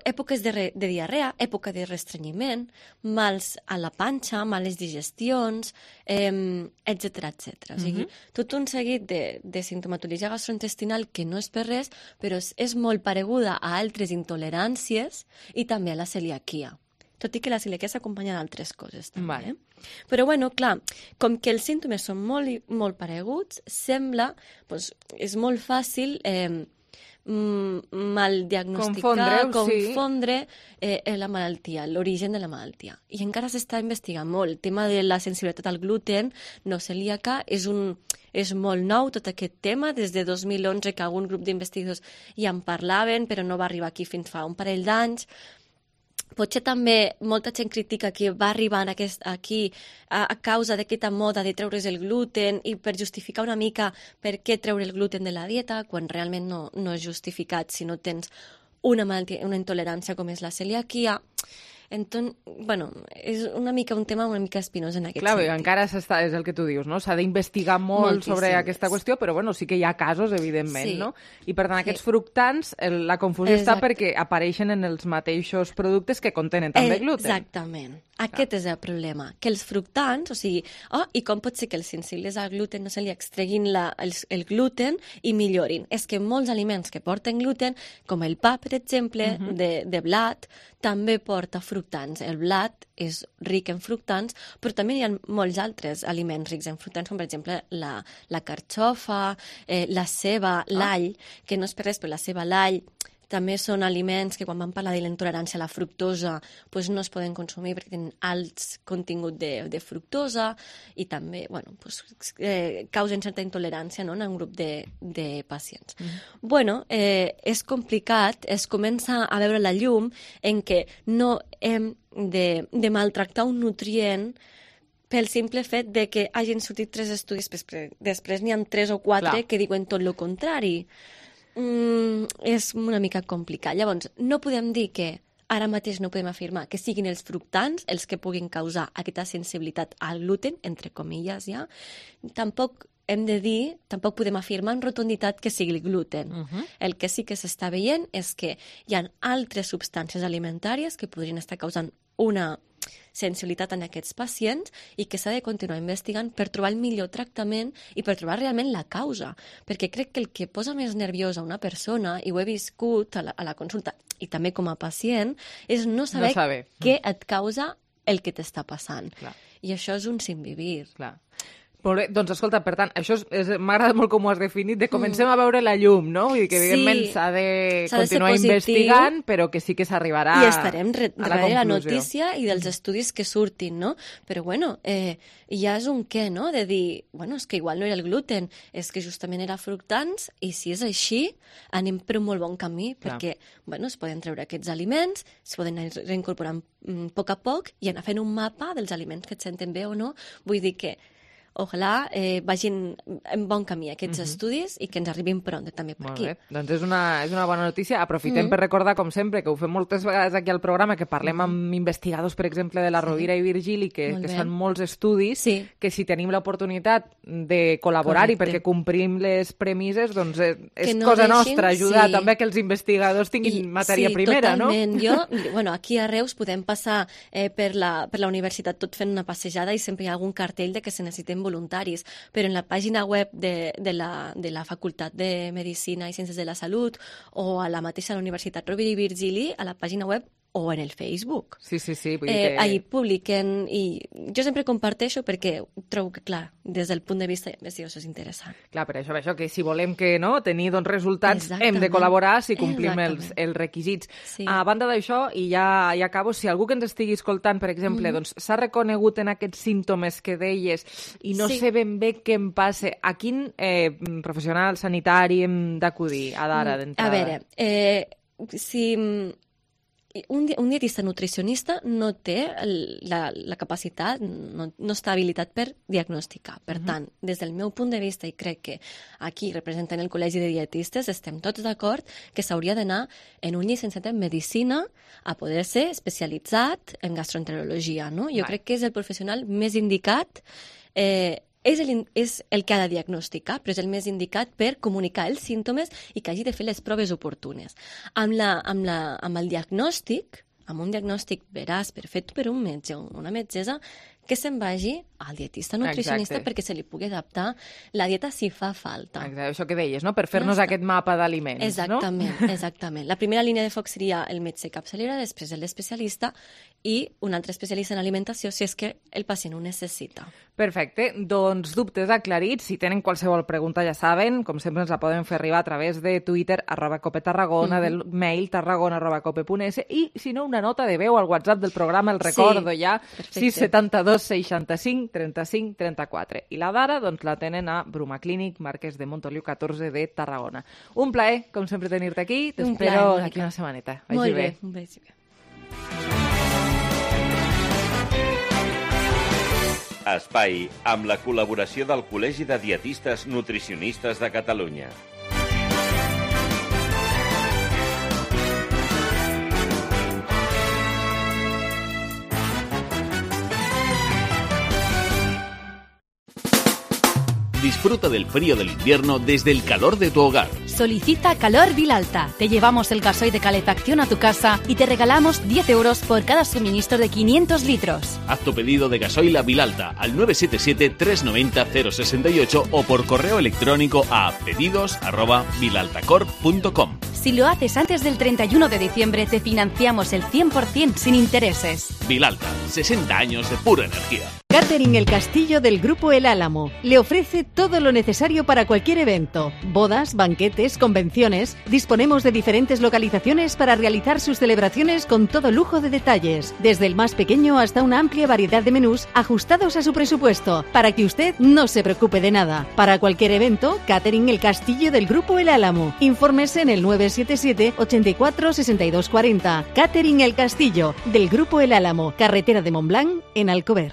èpoques de diarrea, època de restrenyiment, mals a la panxa, males digestions, etc. O sigui, tot un seguit de sintomatologia gastrointestinal que no és per res, però és molt pareguda a altres intoleràncies i també a la celiaquia. Tot i que la celiaquia s'acompanya d'altres coses, també. Vale. Però, clar, com que els símptomes són molt, molt pareguts, sembla, és molt fàcil mal diagnosticar, confondre la malaltia, l'origen de la malaltia. I encara s'està investigant molt. El tema de la sensibilitat al gluten no celíaca és molt nou, tot aquest tema, des de 2011 que algun grup d'investigadors ja en parlaven, però no va arribar aquí fins fa un parell d'anys. Potser també molta gent critica que va arribar aquí a causa d'aquesta moda de treure's el gluten i per justificar una mica per què treure el gluten de la dieta, quan realment no és justificat si no tens una malaltia, una intolerància com és la celiaquia. Entonces, és una mica un tema una mica espinós en aquest sentit. Clar, encara és el que tu dius, no? S'ha d'investigar molt sobre aquesta qüestió, però sí que hi ha casos, evidentment, no? I per tant, aquests fructants, la confusió està perquè apareixen en els mateixos productes que contenen també gluten. Exactament. Aquest és el problema, que els fructants, o sigui, i com pot ser que els sensibles al gluten no se li extreguin el gluten i millorin? És que molts aliments que porten gluten, com el pa, per exemple, de blat, també porta fructants. El blat és ric en fructants, però també hi ha molts altres aliments rics en fructants, com per exemple la carxofa, la ceba, l'all, que no és per res, però la ceba, l'all, també són aliments que quan vam parlar de la intolerància a la fructosa no es poden consumir perquè tenen alts contingut de fructosa i també causen certa intolerància en un grup de pacients. És complicat, es comença a veure la llum en què no hem de maltractar un nutrient pel simple fet de que hagin sortit 3 estudis, després n'hi ha 3 o 4 que diuen tot el contrari. És una mica complicat. Llavors, no podem dir que ara mateix no podem afirmar que siguin els fructants els que puguin causar aquesta sensibilitat al gluten, entre comilles, ja. Tampoc podem afirmar en rotunditat que sigui el gluten. El que sí que s'està veient és que hi ha altres substàncies alimentàries que podrien estar causant una sensibilitat en aquests pacients i que s'ha de continuar investigant per trobar el millor tractament i per trobar realment la causa. Perquè crec que el que posa més nerviosa una persona, i ho he viscut a la consulta i també com a pacient, és no saber què et causa el que t'està passant. I això és un sin vivir. Molt bé, doncs escolta, per tant, això m'agrada molt com ho has definit, de comencem a veure la llum, no? Vull dir que evidentment s'ha de continuar investigant, però que sí que s'arribarà a la conclusió. I estarem darrere la notícia i dels estudis que surtin, no? Però ja és un què, no? De dir, és que igual no era el gluten, és que justament era fructants, i si és així, anem per un molt bon camí, perquè, es poden treure aquests aliments, es poden anar reincorporant a poc i anar fent un mapa dels aliments que et senten bé o no. Vull dir que ojalà vagin en bon camí aquests estudis i que ens arribin pront també per aquí. Molt bé, doncs és una bona notícia. Aprofitem per recordar, com sempre, que ho fem moltes vegades aquí al programa, que parlem amb investigadors, per exemple, de la Rovira i Virgili, que fan molts estudis, que si tenim l'oportunitat de col·laborar-hi perquè complim les premisses, doncs és cosa nostra ajudar també que els investigadors tinguin matèria primera, no? Sí, totalment. Aquí a Reus podem passar per la universitat tot fent una passejada i sempre hi ha algun cartell de que se necessiten voluntaris, però en la pàgina web de la Facultat de Medicina i Ciències de la Salut o a la mateixa Universitat Rovira i Virgili, a la pàgina web o en el Facebook. Sí. Vull dir que... Ahí publiquen i jo sempre comparteixo perquè trobo que, clar, des del punt de vista d'investigació és interessant. Clar, per això que si volem que tenir resultats hem de col·laborar si complim els requisits. Sí. A banda d'això, i ja acabo, si algú que ens estigui escoltant, per exemple, doncs s'ha reconegut en aquests símptomes que deies i no sé ben bé què em passa, a quin professional sanitari hem d'acudir a d'ara d'entrada? A veure, si... Un dietista nutricionista no té la capacitat, no està habilitat per diagnosticar. Per tant, des del meu punt de vista, i crec que aquí representant el Col·legi de Dietistes, estem tots d'acord que s'hauria d'anar en un llicenciat en Medicina a poder ser especialitzat en gastroenterologia, no? Jo crec que és el professional més indicat, és el que ha de diagnosticar, però és el més indicat per comunicar els símptomes i que hagi de fer les proves oportunes. Amb el diagnòstic, amb un diagnòstic veraç, fet per un metge o una metgessa, que se'n vagi al dietista nutricionista perquè se li pugui adaptar la dieta si fa falta. Exacte, això que deies, no? Per fer-nos aquest mapa d'aliments, Exactament. La primera línia de foc seria el metge capçalera, després l'especialista i un altre especialista en alimentació si és que el pacient ho necessita. Perfecte, doncs dubtes aclarits. Si tenen qualsevol pregunta ja saben, com sempre ens la poden fer arribar a través de Twitter, @copetarragona, del mail tarragona@cope.es i si no, una nota de veu al WhatsApp del programa, el recordo ja, 672 65 35 34. I la d'ara doncs, la tenen a Bruma Clínic, Marquès de Montoliu 14 de Tarragona. Un plaer, com sempre, tenir-te aquí. T'espero aquí una setmaneta. Molt bé, un vagi bé. Espai amb la col·laboració del Col·legi de Dietistes Nutricionistes de Catalunya. Disfruta del frío del invierno desde el calor de tu hogar. Solicita Calor Vilalta. Te llevamos el gasoil de calefacción a tu casa y te regalamos 10 euros por cada suministro de 500 litros. Haz tu pedido de gasoil a Vilalta al 977-390-068 o por correo electrónico a pedidos@vilaltacorp.com. Si lo haces antes del 31 de diciembre, te financiamos el 100% sin intereses. Vilalta, 60 años de pura energía. Catering El Castillo del Grupo El Álamo le ofrece todo lo necesario para cualquier evento. Bodas, banquetes, convenciones. Disponemos de diferentes localizaciones para realizar sus celebraciones con todo lujo de detalles. Desde el más pequeño hasta una amplia variedad de menús ajustados a su presupuesto, para que usted no se preocupe de nada. Para cualquier evento, Catering El Castillo del Grupo El Álamo. Infórmese en el 977 84 62 40. Catering El Castillo del Grupo El Álamo, carretera de Montblanc, en Alcover.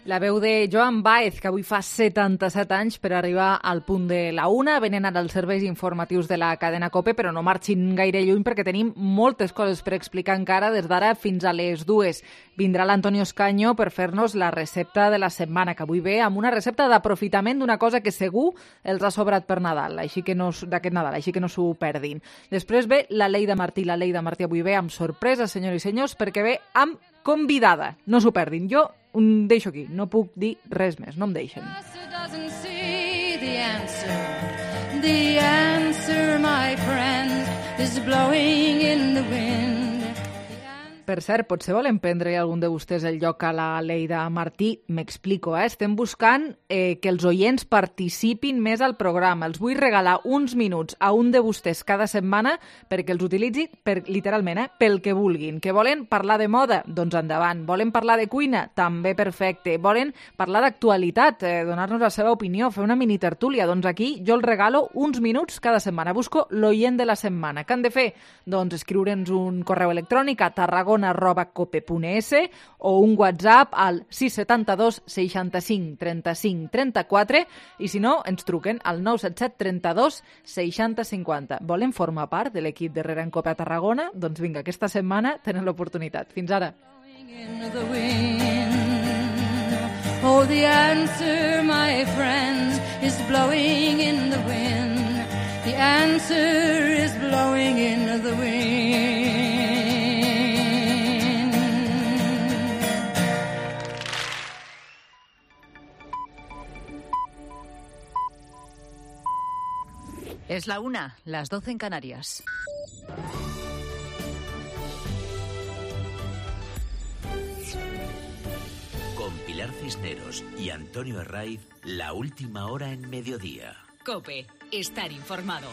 La veu de Joan Baez, que avui fa 77 anys per arribar al punt de la una. Venen ara els serveis informatius de la cadena COPE, però no marxin gaire lluny perquè tenim moltes coses per explicar encara des d'ara fins a les 2. Vindrà l'Antonio Escaño per fer-nos la recepta de la setmana, que avui ve amb una recepta d'aprofitament d'una cosa que segur els ha sobrat per Nadal, d'aquest Nadal, així que no s'ho perdin. Després ve la Leida Martí. La Leida Martí avui ve amb sorpresa, senyors i senyors, perquè ve amb convidada. No s'ho perdin. Jo deixo aquí, no puc dir res més, no em deixen. the answer. The answer, my friends, is blowing in the wind. Per cert, potser volen prendre algun de vostès el lloc a la Leida Martí. M'explico, Estem buscant que els oients participin més al programa. Els vull regalar uns minuts a un de vostès cada setmana perquè els utilitzi literalment, pel que vulguin. Que volen parlar de moda? Doncs endavant. Volen parlar de cuina? També perfecte. Volen parlar d'actualitat? Donar-nos la seva opinió, fer una mini tertúlia? Doncs aquí jo els regalo uns minuts cada setmana. Busco l'oient de la setmana. Què han de fer? Doncs escriure'ns un correu electrònic a tarragona@cope.es o un WhatsApp al 672 65 35 34 i si no, ens truquen al 977 32 60 50. Volen formar part de l'equip d'Herrera en Cope a Tarragona? Doncs vinga, aquesta setmana tenen l'oportunitat. Fins ara. Oh, the answer, my friends, is blowing in the wind. The answer is blowing in the wind. Es la 1, las 12 en Canarias. Con Pilar Cisneros y Antonio Herraiz, la última hora en mediodía. COPE, estar informado.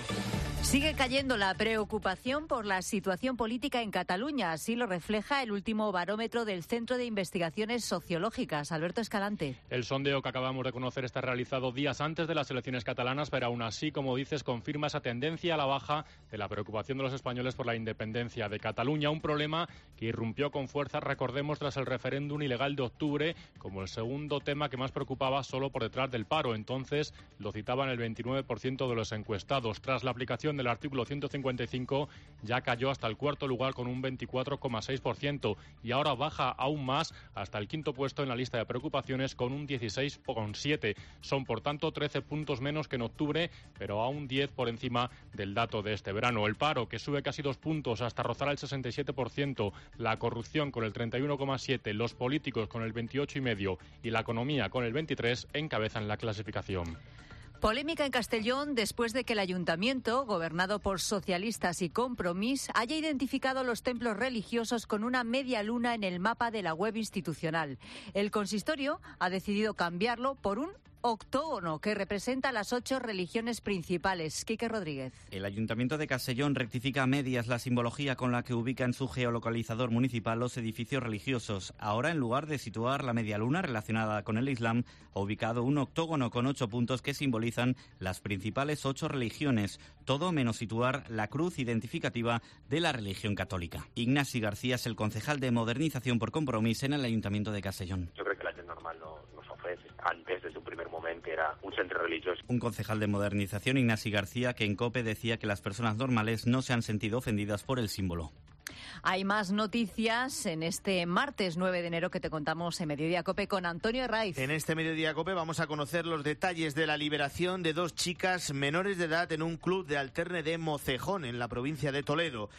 Sigue cayendo la preocupación por la situación política en Cataluña. Así lo refleja el último barómetro del Centro de Investigaciones Sociológicas. Alberto Escalante. El sondeo que acabamos de conocer está realizado días antes de las elecciones catalanas, pero aún así, como dices, confirma esa tendencia a la baja de la preocupación de los españoles por la independencia de Cataluña. Un problema que irrumpió con fuerza, recordemos, tras el referéndum ilegal de octubre, como el segundo tema que más preocupaba, solo por detrás del paro. Entonces lo citaban el 29% de los encuestados. Tras la aplicación del artículo 155 ya cayó hasta el cuarto lugar con un 24,6% y ahora baja aún más hasta el quinto puesto en la lista de preocupaciones con un 16,7%. Son por tanto 13 puntos menos que en octubre, pero aún 10 por encima del dato de este verano. El paro, que sube casi 2 puntos hasta rozar el 67%, la corrupción con el 31,7%, los políticos con el 28,5% y la economía con el 23% encabezan la clasificación. Polémica en Castellón después de que el ayuntamiento, gobernado por socialistas y Compromís, haya identificado los templos religiosos con una media luna en el mapa de la web institucional. El consistorio ha decidido cambiarlo por un octógono que representa las 8 religiones principales. Quique Rodríguez. El Ayuntamiento de Castellón rectifica a medias la simbología con la que ubica en su geolocalizador municipal los edificios religiosos. Ahora, en lugar de situar la media luna relacionada con el Islam, ha ubicado un octógono con 8 puntos que simbolizan las principales 8 religiones, todo menos situar la cruz identificativa de la religión católica. Ignasi García es el concejal de Modernización por Compromís en el Ayuntamiento de Castellón. Yo creo que la gent normal nos ofrece. Antes, desde un primer momento, era un centro religioso. Un concejal de Modernización, Ignasi García, que en COPE decía que las personas normales no se han sentido ofendidas por el símbolo. Hay más noticias en este martes 9 de enero que te contamos en Mediodía COPE con Antonio Herraiz. En este Mediodía COPE vamos a conocer los detalles de la liberación de 2 chicas menores de edad en un club de alterne de Mocejón, en la provincia de Toledo.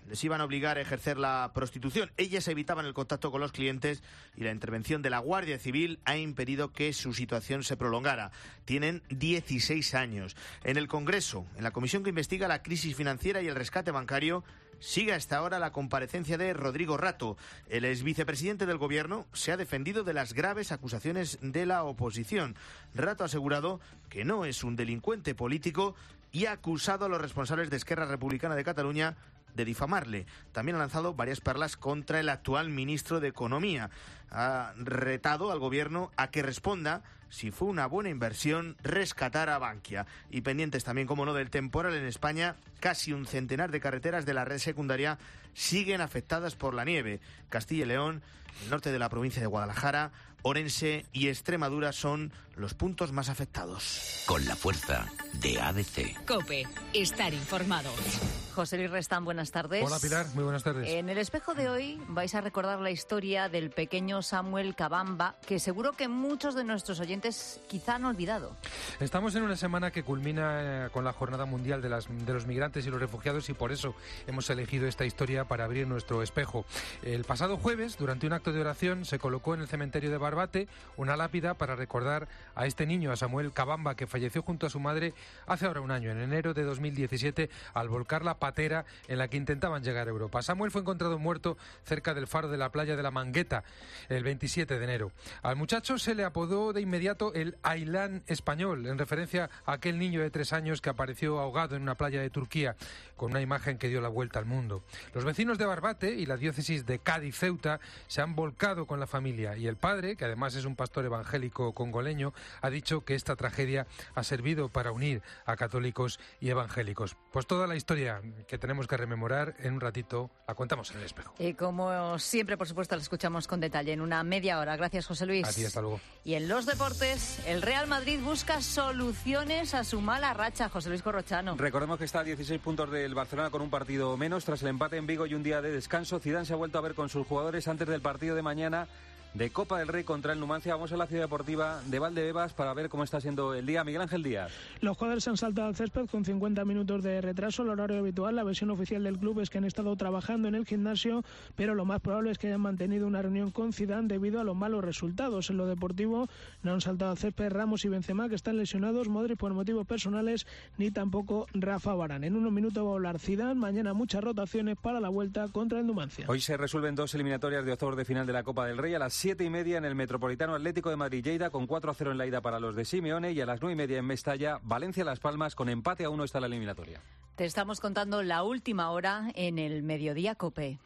Les iban a obligar a ejercer la prostitución. Ellas evitaban el contacto con los clientes y la intervención de la Guardia Civil ha impedido que su situación se prolongara. Tienen 16 años. En el Congreso, en la comisión que investiga la crisis financiera y el rescate bancario, sigue hasta ahora la comparecencia de Rodrigo Rato. El exvicepresidente del Gobierno se ha defendido de las graves acusaciones de la oposición. Rato ha asegurado que no es un delincuente político y ha acusado a los responsables de Esquerra Republicana de Cataluña de difamarle. También ha lanzado varias perlas contra el actual ministro de Economía. Ha retado al Gobierno a que responda si fue una buena inversión rescatar a Bankia. Y pendientes también, como no, del temporal en España, casi un centenar de carreteras de la red secundaria siguen afectadas por la nieve. Castilla y León, el norte de la provincia de Guadalajara, Orense y Extremadura son los puntos más afectados. Con la fuerza de ADC. COPE, estar informado. José Luis Restán, buenas tardes. Hola Pilar, muy buenas tardes. En el espejo de hoy vais a recordar la historia del pequeño Samuel Cabamba, que seguro que muchos de nuestros oyentes quizá han olvidado. Estamos en una semana que culmina con la Jornada Mundial de los Migrantes y los Refugiados y por eso hemos elegido esta historia para abrir nuestro espejo. El pasado jueves, durante un acto acto de oración se colocó en el cementerio de Barbate una lápida para recordar a este niño, a Samuel Cabamba, que falleció junto a su madre hace ahora un año, en enero de 2017, al volcar la patera en la que intentaban llegar a Europa. Samuel fue encontrado muerto cerca del faro de la playa de la Mangueta el 27 de enero. Al muchacho se le apodó de inmediato el Ailán español, en referencia a aquel niño de 3 años que apareció ahogado en una playa de Turquía, con una imagen que dio la vuelta al mundo. Los vecinos de Barbate y la diócesis de Cádiz-Ceuta se han volcado con la familia, y el padre, que además es un pastor evangélico congoleño, ha dicho que esta tragedia ha servido para unir a católicos y evangélicos. Pues toda la historia que tenemos que rememorar, en un ratito la contamos en el espejo. Y como siempre, por supuesto, la escuchamos con detalle en una media hora. Gracias, José Luis. A ti, hasta luego. Y en los deportes, el Real Madrid busca soluciones a su mala racha. José Luis Corrochano. Recordemos que está a 16 puntos del Barcelona con un partido menos. Tras el empate en Vigo y un día de descanso, Zidane se ha vuelto a ver con sus jugadores antes del partido de mañana de Copa del Rey contra el Numancia. Vamos a la ciudad deportiva de Valdebebas para ver cómo está siendo el día. Miguel Ángel Díaz. Los jugadores se han saltado al césped con 50 minutos de retraso, el horario habitual. La versión oficial del club es que han estado trabajando en el gimnasio, pero lo más probable es que hayan mantenido una reunión con Zidane debido a los malos resultados. En lo deportivo no han saltado al césped Ramos y Benzema, que están lesionados, Modric por motivos personales, ni tampoco Rafa Varane. En unos minutos va a hablar Zidane. Mañana muchas rotaciones para la vuelta contra el Numancia. Hoy se resuelven 2 eliminatorias de octavos de final de la Copa del Rey. A las 7:30 en el Metropolitano Atlético de Madrid-Lleida, con 4-0 en la ida para los de Simeone, y a las 9:30 en Mestalla, Valencia-Las Palmas, con empate a 1 está la eliminatoria. Te estamos contando la última hora en el Mediodía COPE.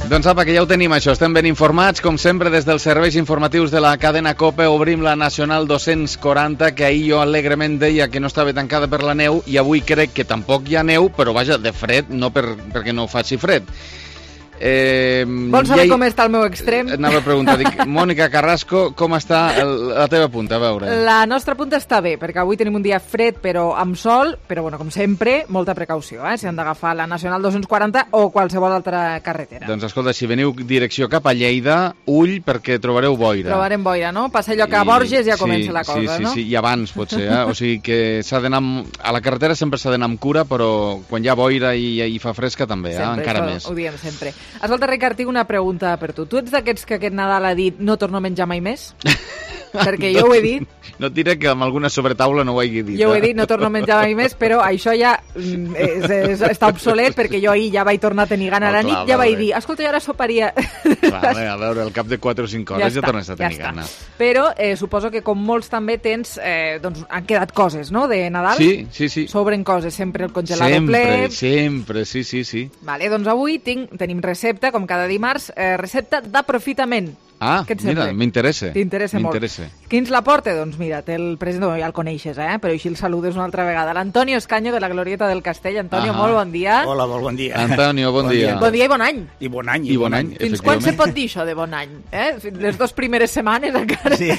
Doncs apa, que ja ho tenim això, estem ben informats, com sempre des dels serveis informatius de la cadena COPE. Obrim la Nacional 240, que ahir jo alegrement deia que no estava tancada per la neu, i avui crec que tampoc hi ha neu, però vaja, de fred, no perquè no faci fred. Vols saber com està el meu extrem? Anava a preguntar, dic, Mònica Carrasco, com està la teva punta? A veure. La nostra punta està bé, perquè avui tenim un dia fred però amb sol, però bueno, com sempre, molta precaució, si han d'agafar la Nacional 240 o qualsevol altra carretera. Doncs escolta, si veniu direcció cap a Lleida, ull, perquè trobareu boira. Trobarem boira, no? Passa allò que a Borges ja comença la cosa, no? Sí, i abans potser, O sigui que s'ha d'anar a la carretera sempre s'ha d'anar amb cura, però quan hi ha boira i fa fresca també, encara més. Ho diem sempre. Escolta, Ricard, tinc una pregunta per tu. Tu ets d'aquests que aquest Nadal ha dit no torno a menjar mai més? Perquè jo ho he dit. No et diré que amb alguna sobretaula no ho hagi dit. Jo ho he dit, no torno a menjar mai més, però això ja està obsolet, perquè jo ahir ja vaig tornar a tenir gana a la nit, ja vaig dir, escolta, jo ara soparia. Clar, a veure, al cap de 4 o 5 hores ja tornes a tenir gana. Però suposo que com molts també tens, doncs han quedat coses, no?, de Nadal. Sí. Sobren coses, sempre el congelador ple. Sempre, sí. Vale, doncs avui tenim recepta, com cada dimarts, recepta d'aprofitament. Ah, mira, m'interessa. T'interessa molt. Qui ens la porta? Doncs mira, té el president, ja el coneixes, però així el saludes una altra vegada. L'Antonio Escaño, de la Glorieta del Castell. Antonio, molt bon dia. Hola, molt bon dia. Antonio, bon dia. Bon dia i bon any. I bon any. Fins quan se pot dir això de bon any? Les 2 primeres setmanes encara. Sí.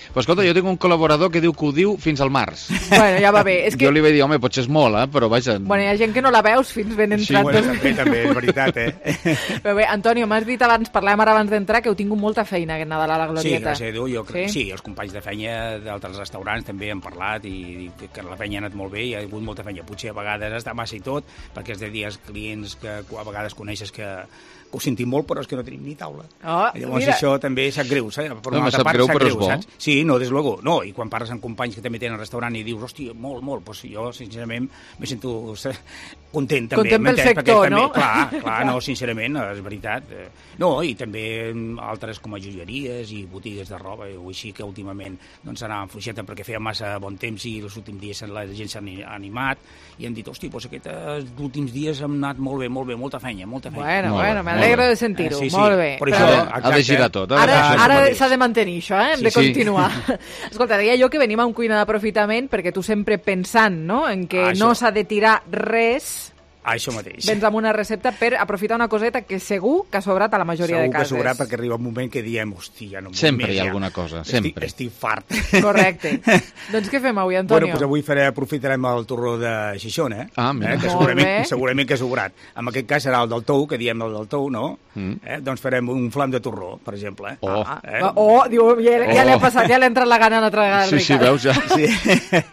Pues escolta, jo tinc un col·laborador que diu que ho diu fins al març. Bueno, ja va bé. Jo li vaig dir, home, potser és molt, però vaja... Bueno, hi ha gent que no la veus fins ben entrat. Sí, també, és veritat, Però bé, Antonio, m'has dit abans, parlàvem ara abans d'entrar, que heu tingut molta feina aquest Nadal a la Glorieta. Sí, gràcies a Déu, jo crec. Sí, els companys de feina d'altres restaurants també han parlat i que la feina ha anat molt bé, hi ha hagut molta feina. Potser a vegades està massa i tot, perquè és de dies clients que a vegades coneixes que ho sentim molt, però és que no tenim ni taula. Llavors mira. Això també sap greu, saps? Per una altra part, sap greu, saps? Sí, no, des luego. No, i quan parles amb companys que també tenen restaurant i dius, hòstia, molt, doncs jo, sincerament, me sento content també. Content pel sector, no? Clar, no, sincerament, és veritat. No, i també altres com a joieries i botigues de roba, o així que últimament doncs anaven fluixeta perquè feia massa bon temps i els últims dies la gent s'ha animat i han dit, hòstia, doncs aquests últims dies han anat molt bé, molta feina. Bueno, m'alegro de sentir-ho, molt bé. Per això, ha de girar tot. Ara s'ha de mantenir això, hem de continuar. Escolta, deia jo que venim a un cuina d'aprofitament perquè tu sempre pensant, no?, en que no s'ha de tirar res Això mateix. Vens amb una recepta per aprofitar una coseta que segur que ha sobrat a la majoria de cases. Segur que ha sobrat perquè arriba un moment que diem, hòstia, no sempre hi ha alguna cosa, sempre. Estic fart. Correcte. Doncs què fem avui, Antonio? Doncs avui aprofitarem el torró de Xixona, mira. Que segurament que ha sobrat. En aquest cas serà el del tou, que diem el del tou, no? Doncs farem un flam de torró, per exemple. Diu, ja l'he passat, ja l'he entrat la gana una altra vegada. Sí, veus ja. Sí.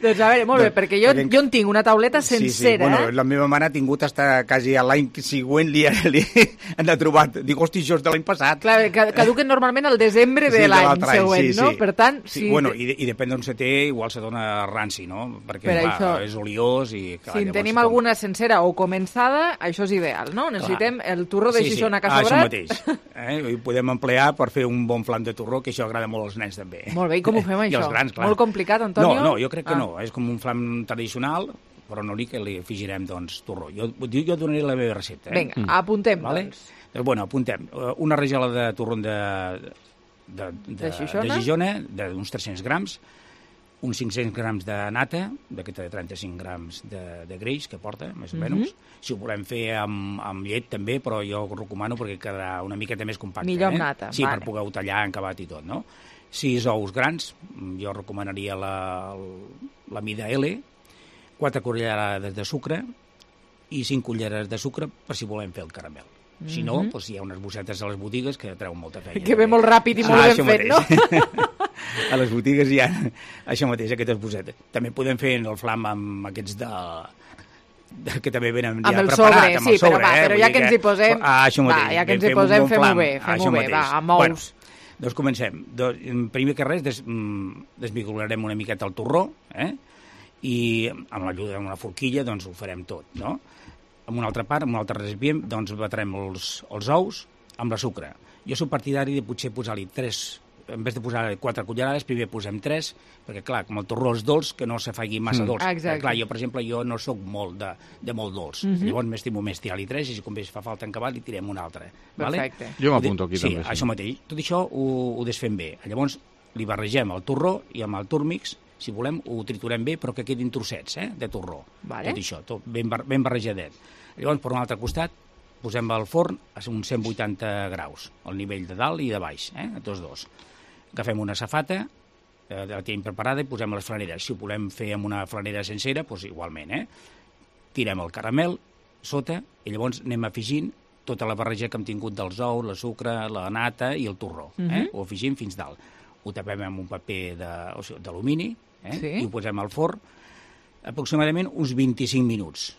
Doncs a veure, molt bé, perquè jo en tinc una tauleta sencera. Bueno, la meva mare ha tingut hasta quasi l'any següent li ha trobat. Dic, hosti, això és de l'any passat. Clar, caduquen normalment el desembre de l'any següent, no? Per tant, sí. Bueno, i depèn d'on se té, igual se dona ranci, no? Perquè és oliós i... Si en tenim alguna sencera o començada, això és ideal, no? Necessitem el torró de Xixona que ha sobrat. Això mateix. Ho podem emplear per fer un bon flam de torró, que això agrada molt als nens també. Molt bé, i com ho fem, això? I als grans, clar. Molt complicat, Antonio? No, jo crec que no, és com un flam tradicional, però no que li afegirem, doncs, torró. Jo donaré la meva recepta. Vinga, apuntem, doncs. Bueno, apuntem. Una rajola de torró de Xixona, d'uns 300 grams, uns 500 grams de nata, d'aquesta de 35 grams de greix que porta, més o menys. Si ho volem fer amb llet també, però jo ho recomano perquè quedarà una miqueta més compacte. Millor amb nata. Sí, per poder-ho tallar encabat i tot, no? 6 ous grans, jo recomanaria la mida L, 4 cullerades de sucre i 5 culleres de sucre per si volem fer el caramel. Si no, doncs hi ha unes bossetes a les botigues que treuen molta feina. Que ve molt ràpid i molt ben fet, no? A les botigues hi ha això mateix, aquestes bossetes. També podem fer el flam amb aquests que també venen ja preparat, amb el sobre, però ja que ens hi posem, fem-ho bé, amb ous. Doncs comencem. Primer que res, desmicolarem una miqueta el torró, i amb l'ajuda d'una forquilla doncs ho farem tot, no? En una altra part, en un altre recipient, doncs batrem els ous amb la sucre. Jo soc partidari de potser posar-li 3, en vez de posar 4 cullerades, primer posem 3, perquè clar, com el torró és dolç, que no se faci massa dolç. Clar, jo, per exemple, no soc molt de molt dolç. Llavors m'estimo més tirar-li 3 i si com fa falta encabat li tirem un altre. Perfecte. Jo m'apunto aquí també. Sí, això mateix. Tot això ho desfem bé. Llavors li barregem el torró i amb el turmix, si volem, ho triturem bé, però que quedin trossets de torró. Tot això, tot ben barrejadet. Llavors, per un altre costat, posem al forn a uns 180 graus, al nivell de dalt i de baix, a tots dos. Agafem una safata, la tenim preparada i posem les flaneres. Si ho volem fer amb una flanera sencera, doncs igualment. Tirem el caramel sota i llavors anem afegint tota la barreja que hem tingut dels ous, la sucre, la nata i el torró. Ho afegim fins dalt. Ho tapem amb un paper d'alumini i ho posem al forn aproximadament uns 25 minuts.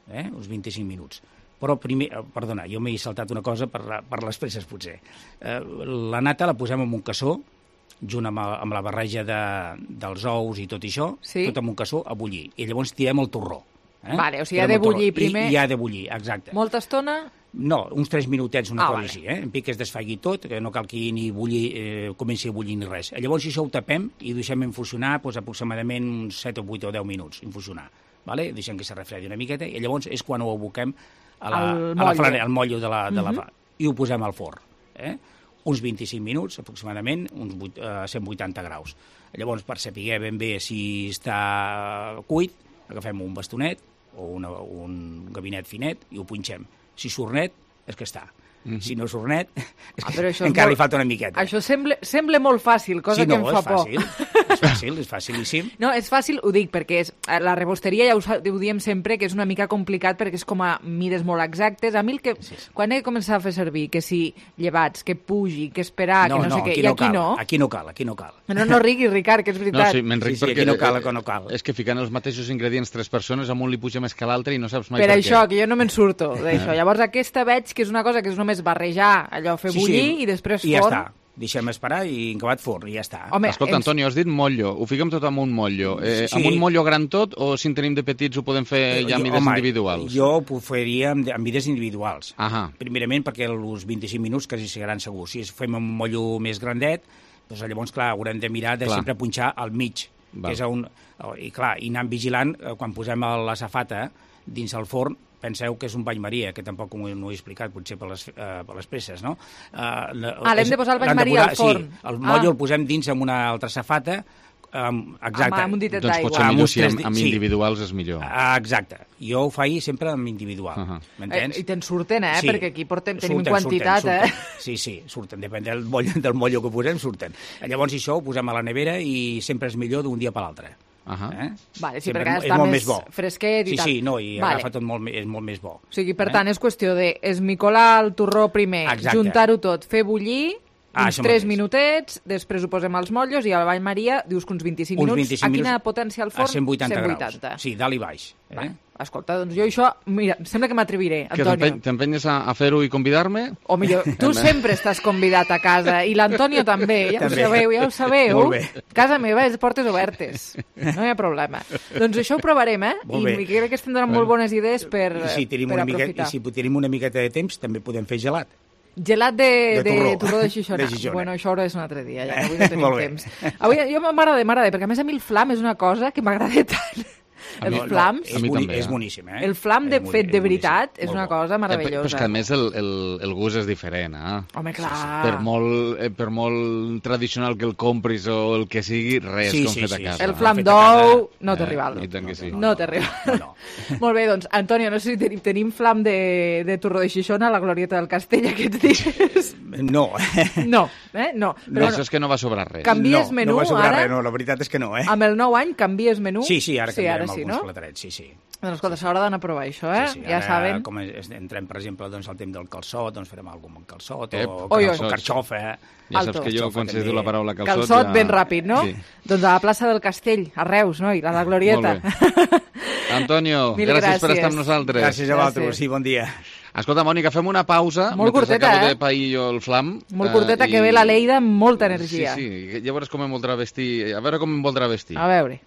Uns 25 minuts. Però primer, perdona, jo m'he saltat una cosa per les presses, potser. La nata la posem en un cassó, junt amb la barreja dels ous i tot això, tot en un cassó a bullir. I llavors tirem el torró. Vale, o sigui, ha de bullir primer. I ha de bullir, exacte. Molta estona? No, uns 3 minutets, una cosa així. En pic que es desfagui tot, que no cal que ni comenci a bullir ni res. Llavors això ho tapem i deixem infusionar aproximadament uns 7 o 8 o 10 minuts, infusionar. Deixem que se refredi una miqueta i llavors és quan ho aboquem al motllo de la i ho posem al forn. Uns 25 minuts, aproximadament, uns 180 graus. Llavors, per saber ben bé si està cuit, agafem un bastonet o un gabinet finet i ho punxem. Si surt net, és que està. Si no surt net, encara li falta una miqueta. Això sembla molt fàcil, cosa que em fa por. És facilíssim. No, és fàcil, ho dic, perquè la rebosteria ja ho diem sempre, que és una mica complicat perquè és com a mides molt exactes. A mi quan he començat a fer servir, que si llevats, que pugi, que esperar, que no sé què, i aquí no. Aquí no cal. No riguis, Ricard, que és veritat. No, sí, m'enric perquè aquí no cal. És que ficant els mateixos ingredients 3 persones, a un li puja més que l'altre i no saps mai per què. Per això, que jo no me'n surto d'això. Llavors aquesta veig que és una cosa que és només barrejar, allò, fer bullir i després forn. I ja està. Deixem esperar i acabat forn, i ja està. Home, escolta, Antonio, has dit motllo. Ho fiquem tot amb un motllo. Amb un motllo gran tot o si en tenim de petits ho podem fer ja amb mides individuals? Jo ho faria amb mides individuals. Primerament perquè els 25 minuts quasi seran segurs. Si fem un motllo més grandet, doncs llavors, clar, haurem de mirar de sempre punxar al mig. I clar, i anant vigilant, quan posem la safata dins el forn, penseu que és un bany maria, que tampoc no ho he explicat, potser per les presses, no? L'hem de posar el bany maria al forn. Sí, el motllo el posem dins amb una altra safata, Exacte. Amb un ditet Doncs d'aigua. potser millor si amb individuals és millor. Exacte. Jo ho faig sempre amb individual. M'entens? I te'n surten, Sí. Perquè aquí tenim quantitat, Sí, surten. Depèn del mollo que posem, surten. Llavors això ho posem a la nevera i sempre és millor d'un dia per l'altre. Vale, sí, Sempre perquè és està molt més bo. fresquet i tal. Sí, no, i agafa tot és molt més bo. O sigui, per tant, és qüestió de esmicolar el torró primer, Exacte. juntar-ho tot, fer bullir, uns això 3 mateix. minutets, després ho posem als motllos i al bany Maria dius que uns 25 minuts. 25 a quina minuts potència al forn? A 180 graus. Sí, dalt i baix. Escolta, doncs jo això, mira, sembla que m'atreviré, Antonio. Que t'empenyes a fer-ho i convidar-me? O millor, tu sempre estàs convidat a casa i l'Antonio també, ja ho sabeu. Molt bé. Casa meva és portes obertes, no hi ha problema. Doncs això ho provarem, I crec que estem donant molt bones idees per aprofitar. I si tenim una miqueta de temps, també podem fer gelat. Gelat de torró de Xixona. De Xixona. Bueno, això és un altre dia, ja que avui no tenim Molt bé. temps. Avui jo m'agrada, perquè a més a mi el flam és una cosa que m'agrada tant. Els flams... És boníssim, El flam fet de veritat és una cosa meravellosa. Però és que a més el gust és diferent, Home, clar. Per molt tradicional que el compris o el que sigui, res com fet a casa. El flam d'ou no té rival. I tant que sí. No té rival. Molt bé, doncs, Antonio, no sé si tenim flam de torró de Xixona a la glorieta del Castell aquests dies. No. No. Però això és que no va sobrar res. Canvies menú, no va sobrar ara? res, no, la veritat és que no, Amb el nou any canvies menú? Sí, ara canviarem alguns no? platarets, sí. Doncs escolta, s'haurà d'anar a provar això, Sí, ja saben. Com entrem, per exemple, doncs, al temps del calçot, doncs farem alguna cosa amb calçot, o carxofa. Ja saps que jo, quan se diu la paraula calçot... Calçot ben ràpid, no? Sí. Doncs a la plaça del Castell, a Reus, no? I a la Glorieta. Molt bé. Antonio, gràcies per estar amb nosaltres. Gràcies a vosaltres, sí, bon dia. Escolta, Mònica, fem una pausa. Molt curteta, acabo de pair jo el flam. Molt curteta, que ve la Leida amb molta energia. Sí, ja veuràs com em voldrà vestir. A veure com em voldrà vestir. A veure.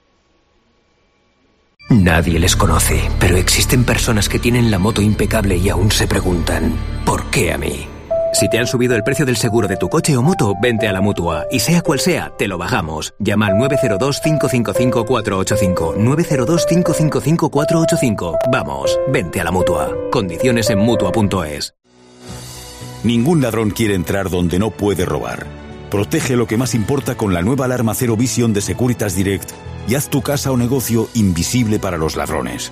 Nadie les conoce, pero existen personas que tienen la moto impecable y aún se preguntan, ¿por qué a mí? Si te han subido el precio del seguro de tu coche o moto, vente a la Mutua. Y sea cual sea, te lo bajamos. Llama al 902-555-485. 902-555-485. Vamos, vente a la Mutua. Condiciones en Mutua.es. Ningún ladrón quiere entrar donde no puede robar. Protege lo que más importa con la nueva alarma Zero Vision de Securitas Direct y haz tu casa o negocio invisible para los ladrones.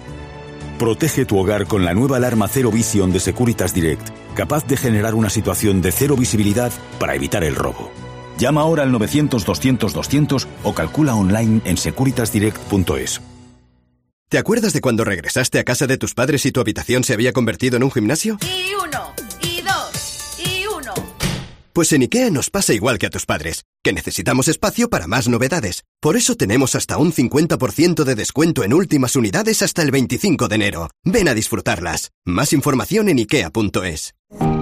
Protege tu hogar con la nueva alarma Zero Vision de Securitas Direct, capaz de generar una situación de cero visibilidad para evitar el robo. Llama ahora al 900-200-200 o calcula online en securitasdirect.es. ¿Te acuerdas de cuando regresaste a casa de tus padres y tu habitación se había convertido en un gimnasio? Y 1, y 2, y 1. Pues en IKEA nos pasa igual que a tus padres, que necesitamos espacio para más novedades. Por eso tenemos hasta un 50% de descuento en últimas unidades hasta el 25 de enero. Ven a disfrutarlas. Más información en ikea.es.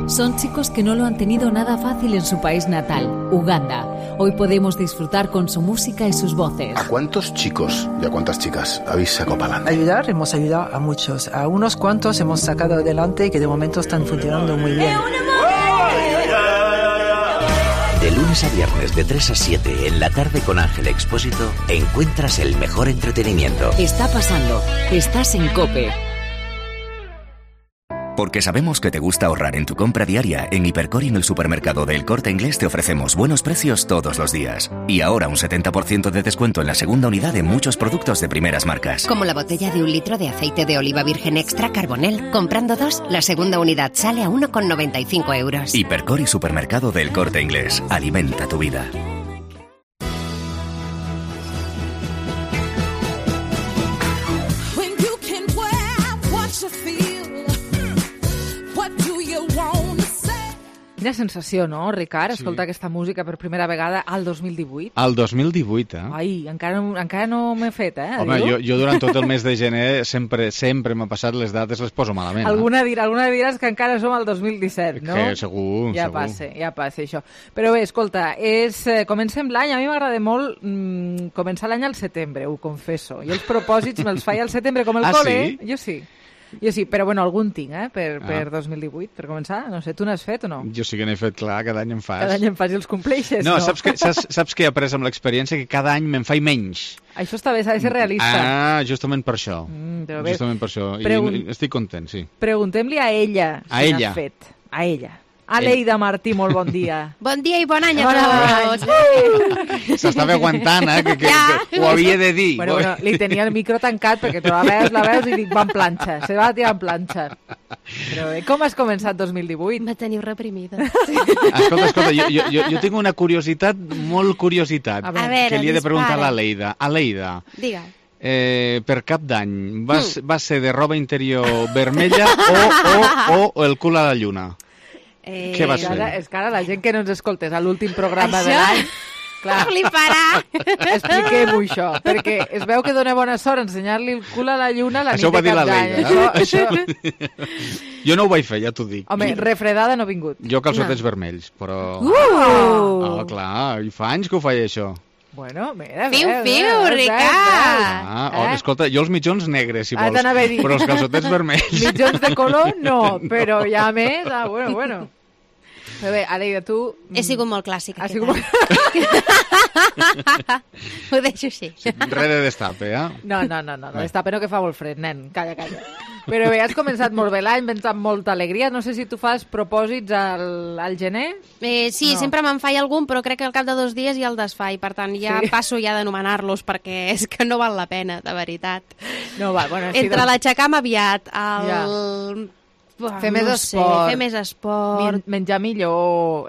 Son chicos que no lo han tenido nada fácil en su país natal, Uganda. Hoy podemos disfrutar con su música y sus voces. ¿A cuántos chicos y a cuántas chicas habéis sacado para adelante? Hemos ayudado a muchos. A unos cuantos hemos sacado adelante que de momento están funcionando muy bien. De lunes a viernes de 3 a 7 en la tarde con Ángel Expósito encuentras el mejor entretenimiento. Está pasando. Estás en COPE. Porque sabemos que te gusta ahorrar en tu compra diaria, en Hipercor y en el supermercado del Corte Inglés te ofrecemos buenos precios todos los días. Y ahora un 70% de descuento en la segunda unidad de muchos productos de primeras marcas. Como la botella de 1 litro de aceite de oliva virgen extra Carbonel. Comprando 2, la segunda unidad sale a 1,95 euros. Hipercor y supermercado del Corte Inglés. Alimenta tu vida. Quina sensació, no, Ricard? Sí. Escoltar aquesta música per primera vegada al 2018. Al 2018, Ai, encara no m'he fet, Home, jo durant tot el mes de gener sempre m'ha passat les dates, les poso malament. Alguna diràs que encara som al 2017, no? Que segur, ja segur. Ja passa això. Però bé, escolta, comencem l'any, a mi m'agrada molt començar l'any al setembre, ho confesso. Jo els propòsits me'ls faig al setembre com el col·le. Sí? Jo sí, però bueno, algun tinc, per 2018, per començar. No sé, tu n'has fet o no? Jo sí que n'he fet, clar, cada any en fas. Cada any en fas i els compleixes, no? Saps que he après amb l'experiència? Que cada any me'n faig menys. Això està bé, s'ha de ser realista. Justament per això. Justament per això. I estic content, sí. Preguntem-li a ella si n'ha fet. A ella. Aleida Martí, molt bon dia. Bon dia i bon any a tots. s'estava aguantant, que ho havia de dir. Bueno, li tenia el micro tancat perquè tu la veus i dic, va en planxa, se va tirar en planxa. Però bé, com has començat 2018? Me teniu reprimida. Escolta, jo tinc una curiositat, molt curiositat, que li he de preguntar a l'Aleida. Aleida, digue. Per Cap d'Any, va ser de roba interior vermella o el cul a la lluna? Què vas fer? És que ara la gent que no ens escoltés a l'últim programa de l'any, clar, fliparà. Expliquem-ho això, perquè es veu que dona bona sort ensenyar-li el cul a la lluna la nit de Cap d'Any. Jo no ho vaig fer, ja t'ho dic. Home, refredada no ha vingut. Jo calçotets vermells, però... clar, i fa anys que ho faig, això. Bueno, mira, Fiu, Ricard! Escolta, jo els mitjons negres, si vols, però els calçotets vermells. Mitjons de color, no, però ja més... bueno. Però bé, Aleida, tu... He sigut molt clàssica. Ho deixo així. Res de destape, No, destape no, que fa molt fred, nen, calla. Però bé, has començat molt bé l'any, vens amb molta alegria. No sé si tu fas propòsits al gener. Sí, no. Sempre me'n faig algun, però crec que al cap de 2 dies ja el desfaig. Per tant, ja passo d'anomenar-los, perquè és que no val la pena, de veritat. No val, bueno... Entre l'aixecar-me aviat, el... Fer més esport, menjar millor,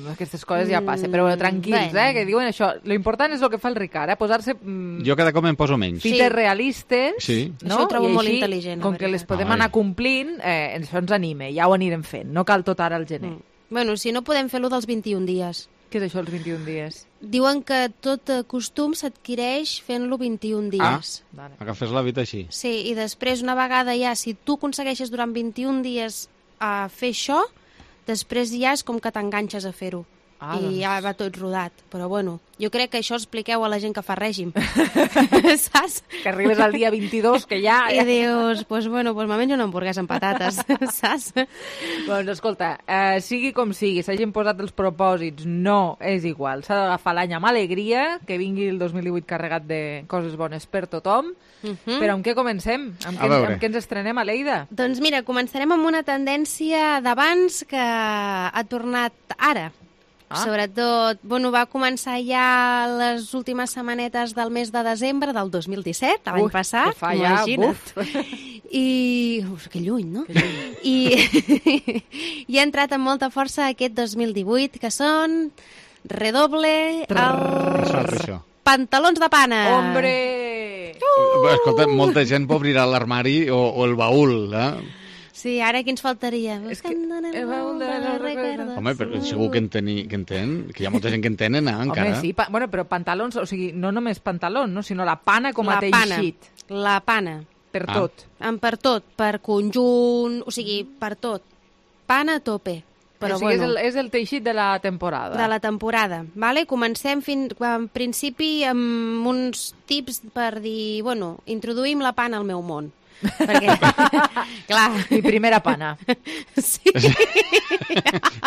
aquestes coses ja passen, però tranquils, que diuen això, l'important és el que fa el Ricard, posar-se jo cada cop em poso menys fites realistes, no? Això ho trobo molt intel·ligent, com que les podem anar complint, això ens anima, ja ho anirem fent, no cal tot ara al gener. Bueno, si no podem fer-lo dels 21 dies. Què és això, els 21 dies? Diuen que tot costum s'adquireix fent-lo 21 dies. Agafes l'hàbit així. Sí, i després, una vegada ja, si tu aconsegueixes durant 21 dies fer això, després ja és com que t'enganxes a fer-ho. I ja va tot rodat. Però bueno, jo crec que això expliqueu a la gent que fa règim. Saps? Que arribes al dia 22, que ja... I dius, pues me menjo una hamburguesa amb patates, saps? Doncs escolta, sigui com sigui, s'hagin posat els propòsits, no és igual. S'ha d'agafar l'any amb alegria, que vingui el 2018 carregat de coses bones per tothom. Però amb què comencem? Amb què ens estrenem, Aleida? Doncs mira, començarem amb una tendència d'abans que ha tornat ara. Sobretot, va començar ja les últimes setmanetes del mes de desembre del 2017, l'any passat, imagina't. I... que lluny, no? I ha entrat amb molta força aquest 2018, que són redoble els pantalons de pana. Hombre! Escolta, molta gent pot obrir l'armari o el baúl, Sí, ara qui ens faltaria? Home, però segur que entén, que hi ha molta gent que entenen, encara. Home, sí, però pantalons, o sigui, no només pantalons, no, sinó la pana com a teixit. La pana. Per tot. Per tot, per conjunt, o sigui, per tot. Pana a tope. Però o sigui, és el teixit de la temporada. De la temporada, vale? Comencem en principi amb uns tips per dir, introduïm la pana al meu món. Perquè, clar... Mi primera pana. Sí.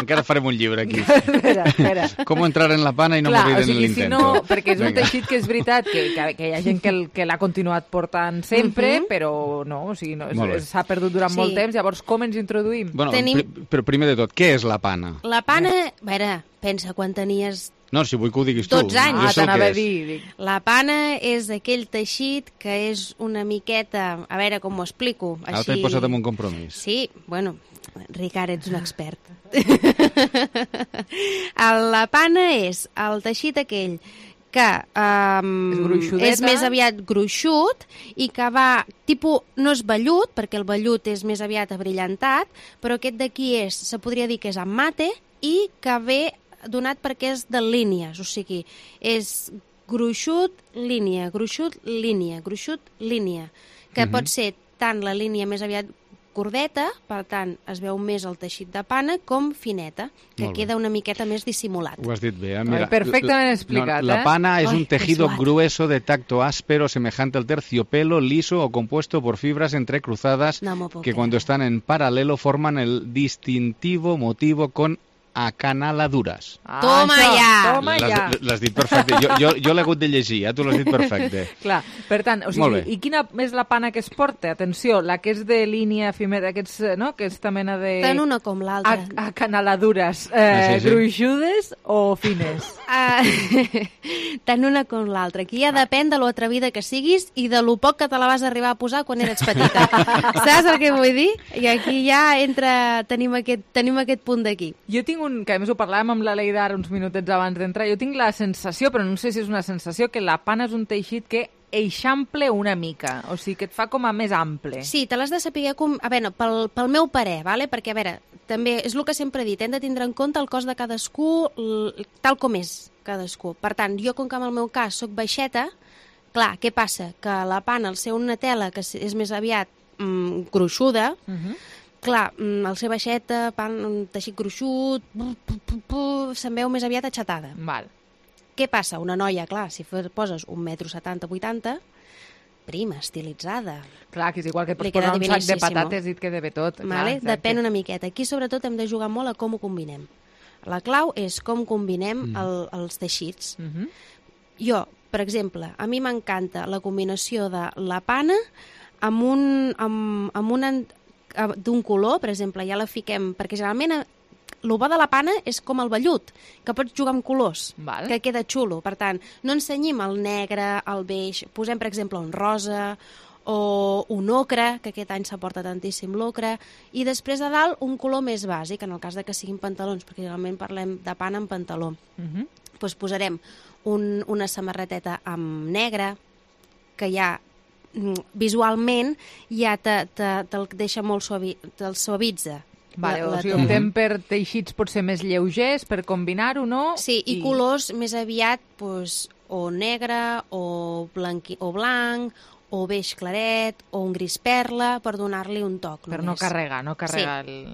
Encara farem un llibre aquí. Espera. Com entrar en la pana i no morir en l'intento. Si no, perquè és un teixit que és veritat que hi ha gent que l'ha continuat portant sempre, però no, o sigui, s'ha perdut durant molt temps. Llavors, com ens introduïm? Però primer de tot, què és la pana? La pana, a veure, pensa quan tenies... No, si vull que ho diguis tu. 12 anys. T'anava a dir. La pana és aquell teixit que és una miqueta... A veure com ho explico. Ara t'he posat en un compromís. Sí, Ricard, ets un expert. La pana és el teixit aquell que és més aviat gruixut i que va, no és vellut, perquè el vellut és més aviat abrillantat, però aquest d'aquí se podria dir que és en mate i que ve donat perquè és de línies, o sigui, és gruixut, línia, que pot ser tant la línia més aviat cordeta, per tant, es veu més el teixit de pana, com fineta, que queda una miqueta més dissimulat. Ho has dit bé, mira. Perfectament explicat, La pana es un tejido grueso de tacto áspero, semejante al terciopelo, liso o compuesto por fibras entrecruzadas que cuando están en paralelo forman el distintivo motivo con acanaladures. Toma ja! L'has dit perfecte. Jo l'he hagut de llegir, tu l'has dit perfecte. Clar, per tant, o sigui, i quina és la pana que es porta? Atenció, la que és de línia fimera, aquesta mena de... Tant una com l'altra. Acanaladures, gruixudes o fines? Tant una com l'altra. Aquí ja depèn de lo atrevida que siguis i de lo poc que te la vas arribar a posar quan eres petita. Saps el que vull dir? I aquí ja tenim aquest punt d'aquí. Jo tinc que a més ho parlàvem amb la Leida ara uns minutets abans d'entrar, jo tinc la sensació, però no sé si és una sensació, que la pana és un teixit que eixample una mica, o sigui, que et fa com a més ample. Sí, te l'has de saber a veure, pel meu parer, vale? Perquè, a veure, també és el que sempre he dit, hem de tindre en compte el cos de cadascú, tal com és cadascú. Per tant, jo, com que en el meu cas soc baixeta, clar, què passa? Que la pana, al ser una tela que és més aviat gruixuda, clar, el ser baixeta, un teixit gruixut, se'n veu més aviat aixatada. Val. Què passa? Una noia, clar, si poses 1,70 m, 80 prima, estilitzada. Clar, que és igual que pots posar un sac de patates i et queda bé tot. Vale? Depèn una miqueta. Aquí, sobretot, hem de jugar molt a com ho combinem. La clau és com combinem els teixits. Jo, per exemple, a mi m'encanta la combinació de la pana d'un color, per exemple, ja la fiquem, perquè generalment el bo de la pana és com el vellut, que pots jugar amb colors, que queda xulo. Per tant, no ensenyim el negre, el beix, posem, per exemple, un rosa o un ocre, que aquest any s'aporta tantíssim l'ocre, i després a dalt un color més bàsic, en el cas de que siguin pantalons, perquè generalment parlem de pana amb pantaló. Doncs posarem una samarreteta amb negre, que ja visualment ja te'l deixa molt te'l suavitza. Vale, o sigui, optem per teixits potser més lleugers, per combinar-ho, no? Sí, i colors més aviat o negre, o blanc, o beix claret, o un gris perla, per donar-li un toc. Per no carregar.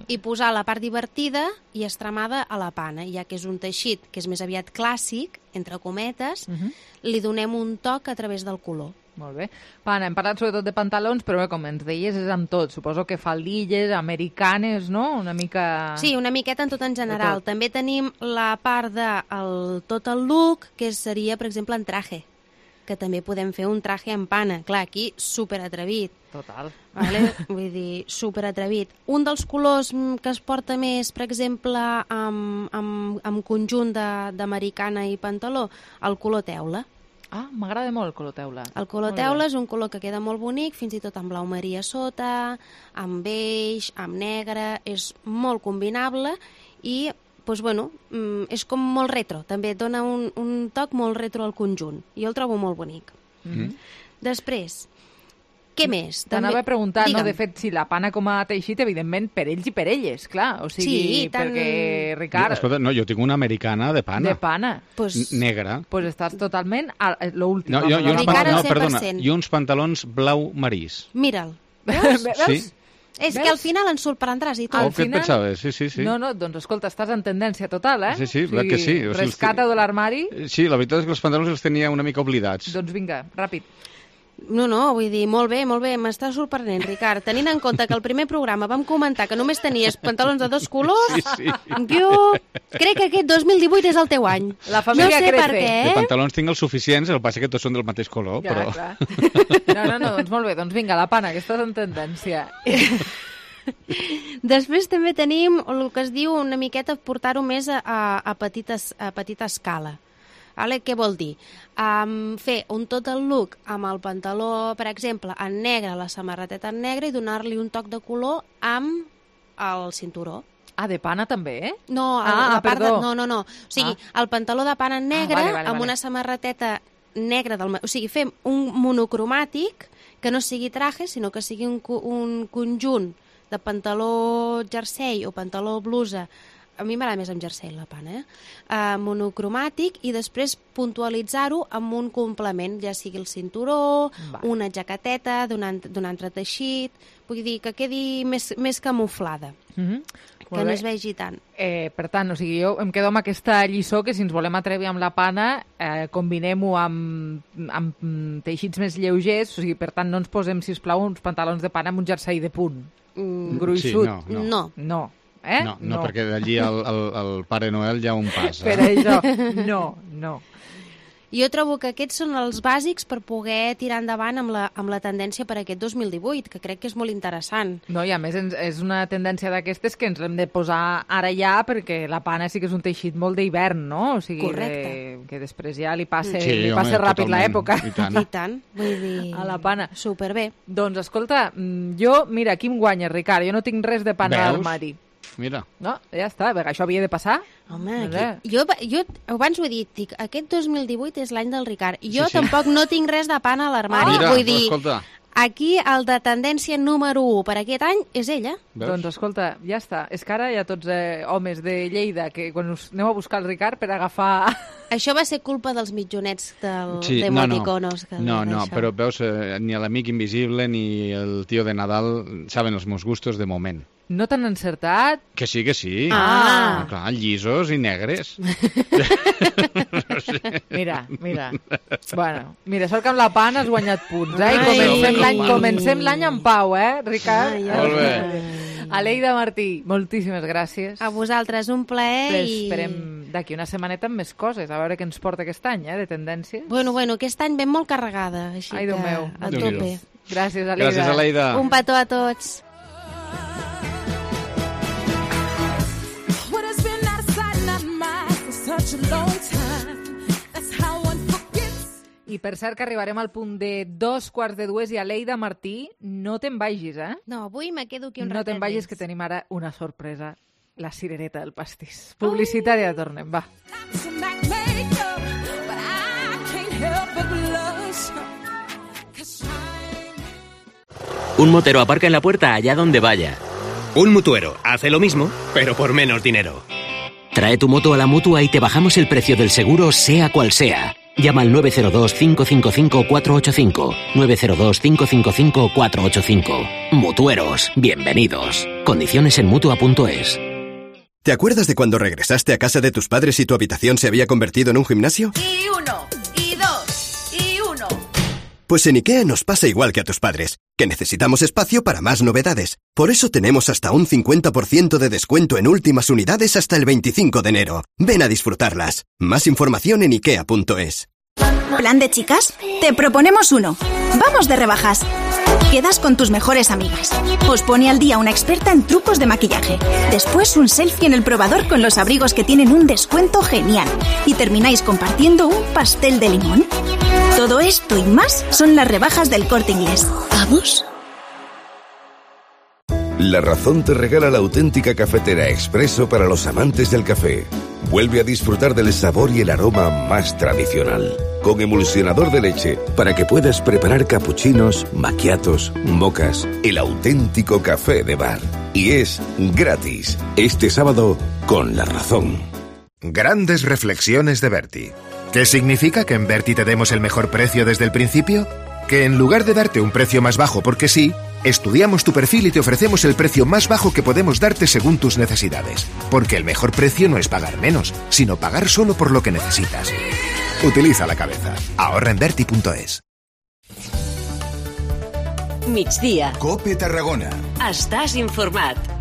I posar la part divertida i estremada a la pana, ja que és un teixit que és més aviat clàssic, entre cometes, li donem un toc a través del color. Molt bé. Pana, hem parlat sobretot de pantalons, però com ens deies és amb tot. Suposo que faldilles, americanes, no? Una mica... Sí, una miqueta en tot en general. També tenim la part de tot el look, que seria, per exemple, en traje, que també podem fer un traje en pana. Clar, aquí, superatrevit. Total. Vale? Vull dir, superatrevit. Un dels colors que es porta més, per exemple, amb conjunt d'americana i pantaló, el color teula. Ah, m'agrada molt el color teula. El color teula és un color que queda molt bonic, fins i tot amb blau marí a sota, amb beix, amb negre, és molt combinable i, doncs, bueno, és com molt retro, també dona un toc molt retro al conjunt. Jo el trobo molt bonic. Després, què més? T'anava a preguntar, no? De fet, si la pana com a teixit, evidentment, per ells i per elles, clar. O sigui, perquè, Ricard... Escolta, no, jo tinc una americana de pana. De pana? Negra. Doncs estàs totalment a l'últim. I uns pantalons blau marís. Mira'l. Veus? Sí. És que al final ens sorprendràs i tot. Què et pensaves? Sí. No, doncs escolta, estàs en tendència total, eh? Sí, que sí. Rescata de l'armari. Sí, la veritat és que els pantalons els tenia una mica oblidats. Doncs vinga, ràpid. No, vull dir, molt bé, m'està sorprenent, Ricard. Tenint en compte que el primer programa vam comentar que només tenies pantalons de 2 colors, jo crec que aquest 2018 és el teu any. La família crece. No sé per què, De pantalons tinc els suficients, el que passa que tots són del mateix color, ja, però... No, doncs molt bé, doncs vinga, la pana, que estàs en tendència. Després també tenim el que es diu una miqueta portar-ho més a petita escala. Vale? Què vol dir? Fer un tot el look amb el pantaló, per exemple, en negre, la samarreteta en negre, i donar-li un toc de color amb el cinturó. Ah, de pana també, eh? No, no. O sigui, el pantaló de pana en negre amb una samarreteta negra. O sigui, fem un monocromàtic que no sigui traje, sinó que sigui un conjunt de pantaló jersei o pantaló blusa. A mi m'agrada més amb jersei la pana, monocromàtic, i després puntualitzar-ho amb un complement, ja sigui el cinturó, una jaqueteta d'un altre teixit, vull dir, que quedi més camuflada, que no es vegi tant. Per tant, o sigui, jo em quedo amb aquesta lliçó que si ens volem atrevir amb la pana, combinem-ho amb teixits més lleugers, o sigui, per tant, no ens posem, sisplau, uns pantalons de pana amb un jersei de punt gruixut. No. eh? No, perquè d'allí el Pare Noel ja un passa. Per això, no. Jo trobo que aquests són els bàsics per poder tirar endavant amb la tendència per aquest 2018, que crec que és molt interessant. No, i a més és una tendència d'aquestes que ens l'hem de posar ara ja, perquè la pana sí que és un teixit molt d'hivern, no? O sigui, correcte. Que després ja li passe totalment. ràpid l'època. I tant. Vull dir... A la pana. Superbé. Doncs escolta, jo, mira, aquí em guanya, Ricard, jo no tinc res de pana a l'armari. Mira. No, ja està, perquè això havia de passar. Home, jo abans ho he dit, dic, aquest 2018 és l'any del Ricard. Jo tampoc no tinc res de pana a l'armari. Vull dir, aquí el de tendència número 1 per aquest any és ella. Doncs escolta, ja està. És que ara hi ha tots homes de Lleida que quan us aneu a buscar el Ricard per agafar... Això va ser culpa dels mitjonets d'emoticonos. No, però veus, ni l'amic invisible ni el tio de Nadal saben els meus gustos de moment. No t'han encertat? Que sí. Clar, llisos i negres. Mira. Bueno, sort que amb la pana has guanyat punts, eh? I comencem l'any en pau, Ricard? Molt bé. Aleida Martí, moltíssimes gràcies. A vosaltres, un plaer. Però esperem d'aquí una setmaneta amb més coses, a veure què ens porta aquest any, de tendències. Bueno, aquest any ben molt carregada, així que a tope. Gràcies, Aleida. Gràcies, Aleida. Un petó a tots. I per cert que arribarem al punt de 2:45 i Aleida Martí, no te'n vagis, eh? No, avui me quedo aquí un ratet. No te'n vagis, que tenim ara una sorpresa, la cirereta del pastís. Publicitària, tornem, va. Un motero aparca en la puerta allá donde vaya. Un mutuero hace lo mismo, pero por menos dinero. Trae tu moto a la Mutua y te bajamos el precio del seguro, sea cual sea. Llama al 902-555-485. 902-555-485. Mutueros, bienvenidos. Condiciones en Mutua.es. ¿Te acuerdas de cuando regresaste a casa de tus padres y tu habitación se había convertido en un gimnasio? Y 1, y 2, y 1. Pues en IKEA nos pasa igual que a tus padres, que necesitamos espacio para más novedades. Por eso tenemos hasta un 50% de descuento en últimas unidades hasta el 25 de enero. Ven a disfrutarlas. Más información en ikea.es. ¿Plan de chicas? Te proponemos uno. Vamos de rebajas. Quedas con tus mejores amigas. Os pone al día una experta en trucos de maquillaje. Después un selfie en el probador con los abrigos que tienen un descuento genial. Y termináis compartiendo un pastel de limón. Todo esto y más son las rebajas del Corte Inglés. ¿Vamos? La Razón te regala la auténtica cafetera expreso para los amantes del café. Vuelve a disfrutar del sabor y el aroma más tradicional. Con emulsionador de leche para que puedas preparar capuchinos, macchiatos, mocas, el auténtico café de bar. Y es gratis. Este sábado con La Razón. Grandes reflexiones de Berti. ¿Qué significa que en Berti te demos el mejor precio desde el principio? Que en lugar de darte un precio más bajo porque sí, estudiamos tu perfil y te ofrecemos el precio más bajo que podemos darte según tus necesidades. Porque el mejor precio no es pagar menos, sino pagar solo por lo que necesitas. Utiliza la cabeza. Ahorra en Berti.es. Migdia. COPE Tarragona. Estàs informat.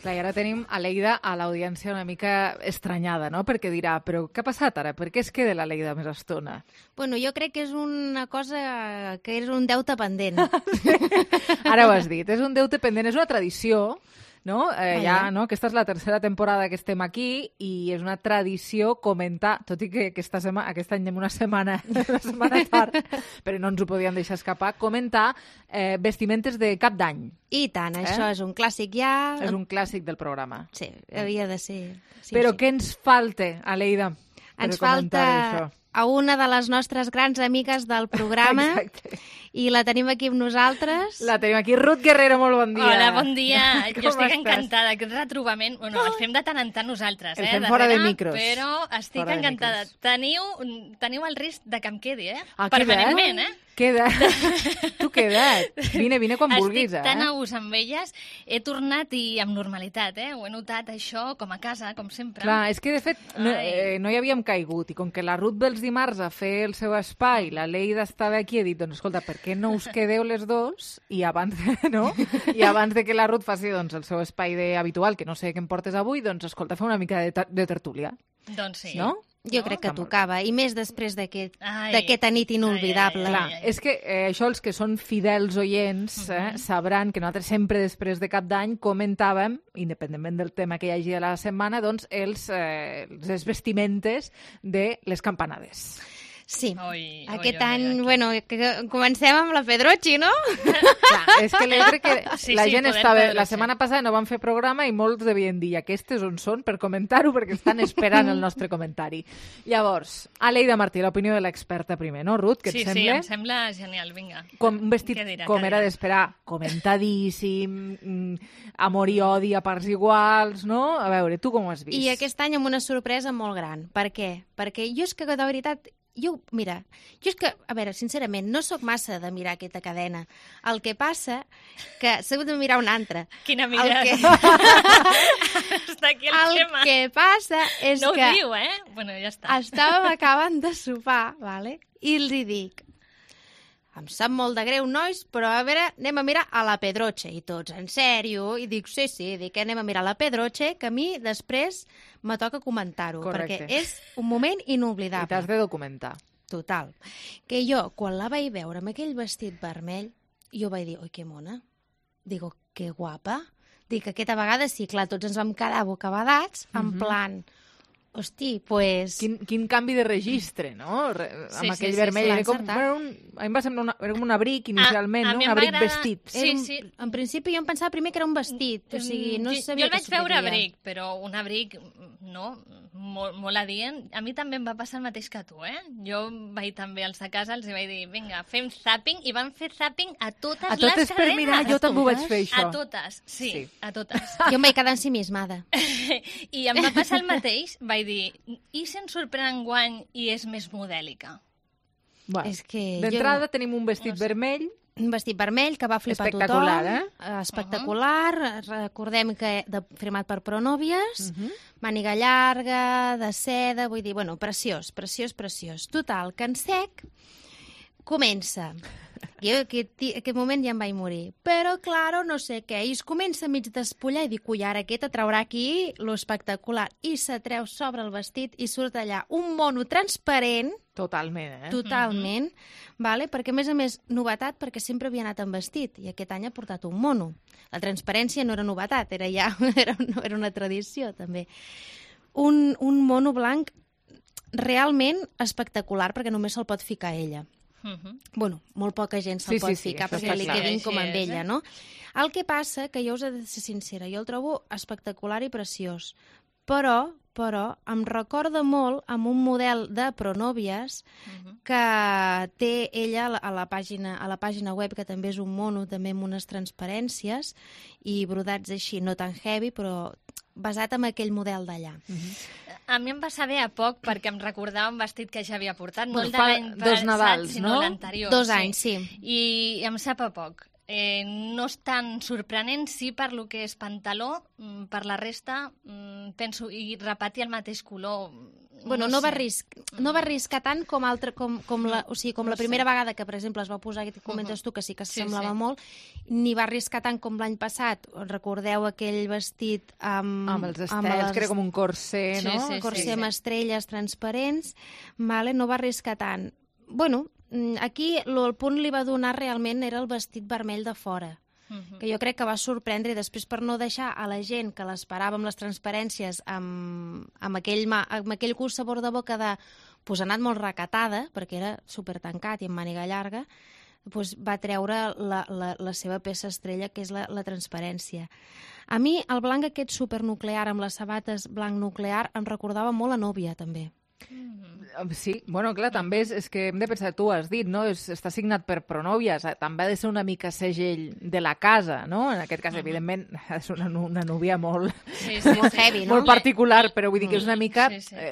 Clar, i ara tenim a Aleida a l'audiència una mica estranyada, no? Perquè dirà, però què ha passat ara? Per què es queda l'Aleida més estona? Bueno, jo crec que és una cosa que és un deute pendent. Ara ho has dit, és un deute pendent, és una tradició, no? Ja, no? Aquesta és la tercera temporada que estem aquí i és una tradició comentar, tot i que aquest any anem una setmana tard, però no ens ho podíem deixar escapar, comentar vestimentes de cap d'any. I tant, això és un clàssic ja. És un clàssic del programa. Sí, havia de ser. Sí, però sí. què ens falta, Aleida? Ens falta a una de les nostres grans amigues del programa. Exacte. I la tenim aquí amb nosaltres. La tenim aquí. Ruth Guerrero, molt bon dia. Hola, bon dia. Jo estic encantada. Aquest retrobament, bueno, el fem de tant en tant nosaltres, el fem fora de micros. Però estic encantada. Teniu el risc de que em quedi, Ah, permanentment, Tu queda't. Vine quan vulguis, Estic tan a gust amb elles. He tornat i amb normalitat, Ho he notat, això, com a casa, com sempre. Clar, és que, de fet, no hi havíem caigut. I com que la Ruth ve els dimarts a fer el seu espai, la Leida estava aquí, he dit, doncs, escolta, per què no us quedeu les dos? I abans, no? I abans de que la Ruth faci el seu espai habitual, que no sé què em portes avui, doncs, escolta, fa una mica de tertúlia. Doncs sí. No? Jo crec que tocava, i més després d'aquesta nit inolvidable. Clar, és que això els que són fidels oients sabran que nosaltres sempre després de Cap d'Any comentàvem, independentment del tema que hi hagi a la setmana, doncs les vestimentes de les campanades. Sí, aquest any, bueno, comencem amb la Pedrochi, no? Clar, és que crec que la gent estava... La setmana passada no vam fer programa i molts devien dir aquestes on són per comentar-ho perquè estan esperant el nostre comentari. Llavors, Aleida Martí, l'opinió de l'experta primer, no, Ruth? Què et sembla? Sí, em sembla genial, vinga. Un vestit com era d'esperar, comentadíssim, amor i odi a parts iguals, no? A veure, tu com ho has vist? I aquest any amb una sorpresa molt gran. Per què? Perquè jo és que, de veritat... Mira, jo és que, a veure, sincerament, no sóc massa de mirar aquesta cadena. El que passa que s'ha de mirar una altra. Quina mirada. Està aquí el tema. El que passa és que... No ho diu, Bueno, ja està. Estàvem acabant de sopar, vale? I els dic, em sap molt de greu, nois, però a veure, anem a mirar a la Pedroche. I tots, en sèrio? I dic, sí, dic, anem a mirar la Pedroche, que a mi després me toca comentar-ho, perquè és un moment inoblidable. I t'has de documentar. Total. Que jo, quan la vaig veure amb aquell vestit vermell, jo vaig dir, oi, que mona. Digo, que guapa. Dic, aquesta vegada sí, clar, tots ens vam quedar bocabadats, en plan... Hosti, pues... Quin canvi de registre, no? Amb aquell vermell. A mi em va semblar un abric inicialment, no? Un abric vestit. Sí. En principi jo em pensava primer que era un vestit, o sigui, no sabia jo el vaig veure abric, però un abric, no, molt adient. A mi també em va passar el mateix que tu, Jo vaig també als de casa, els vaig dir, vinga, fem zapping, i van fer zapping a totes les cadenes. A totes per mirar, jo també ho vaig fer, això. A totes, sí. A totes. Jo em vaig quedar ensimismada. I em va passar el mateix, vaig dir, i se'n sorprèn enguany i és més modèlica? Bueno, d'entrada tenim un vestit vermell. Un vestit vermell que va flipar tothom. Espectacular. Recordem que firmat per Pronòvies, màniga llarga, de seda, vull dir, bueno, preciós. Total, que en sec comença. Jo aquest moment ja em vaig morir. Però, claro, no sé què. I es comença a mig despullar i dic, ui, ara aquesta traurà aquí lo espectacular. I se treu sobre el vestit i surt allà un mono transparent. Totalment, Totalment. Vale? Perquè, a més, novetat, perquè sempre havia anat amb vestit. I aquest any ha portat un mono. La transparència no era novetat, era una tradició, també. Un mono blanc realment espectacular, perquè només se'l pot ficar ella. Bueno, molt poca gent se'l pot ficar perquè li quedin com amb ella, no? El que passa, que jo us he de ser sincera, jo el trobo espectacular i preciós, però em recorda molt amb un model de Pronòvies que té ella a la pàgina web, que també és un mono, també amb unes transparències i brodats així, no tan heavy, però basat en aquell model d'allà. A mi em va saber a poc perquè em recordava un vestit que ja havia portat, no el de fa l'any dos Nadals, sinó no? l'anterior. 2 anys, sí. I em sap a poc. No és tan sorprenent, sí, per lo que és pantaló, per la resta, penso, i repetir el mateix color... Bueno, no va arriscar tant com la primera vegada que, per exemple, es va posar, que comentes tu, que sí que semblava molt, ni va arriscar tant com l'any passat. Recordeu aquell vestit amb els estels, que era com un corser, no? Corser amb estrelles transparents, no va arriscar tant. Bueno, aquí el punt li va donar realment era el vestit vermell de fora, que jo crec que va sorprendre, i després per no deixar a la gent que l'esperava amb les transparències amb aquell curs sabor de boca de ha anat molt recatada, perquè era supertancat i amb màniga llarga, va treure la seva peça estrella, que és la transparència. A mi el blanc aquest supernuclear amb les sabates blanc nuclear em recordava molt a Núvia, també. Sí, bueno, clar, també és que hem de pensar, tu has dit, no? Està signat per pronòvies, també ha de ser una mica segell de la casa, no? En aquest cas, evidentment, és una núvia molt heavy, no? Molt particular, però vull dir que és una mica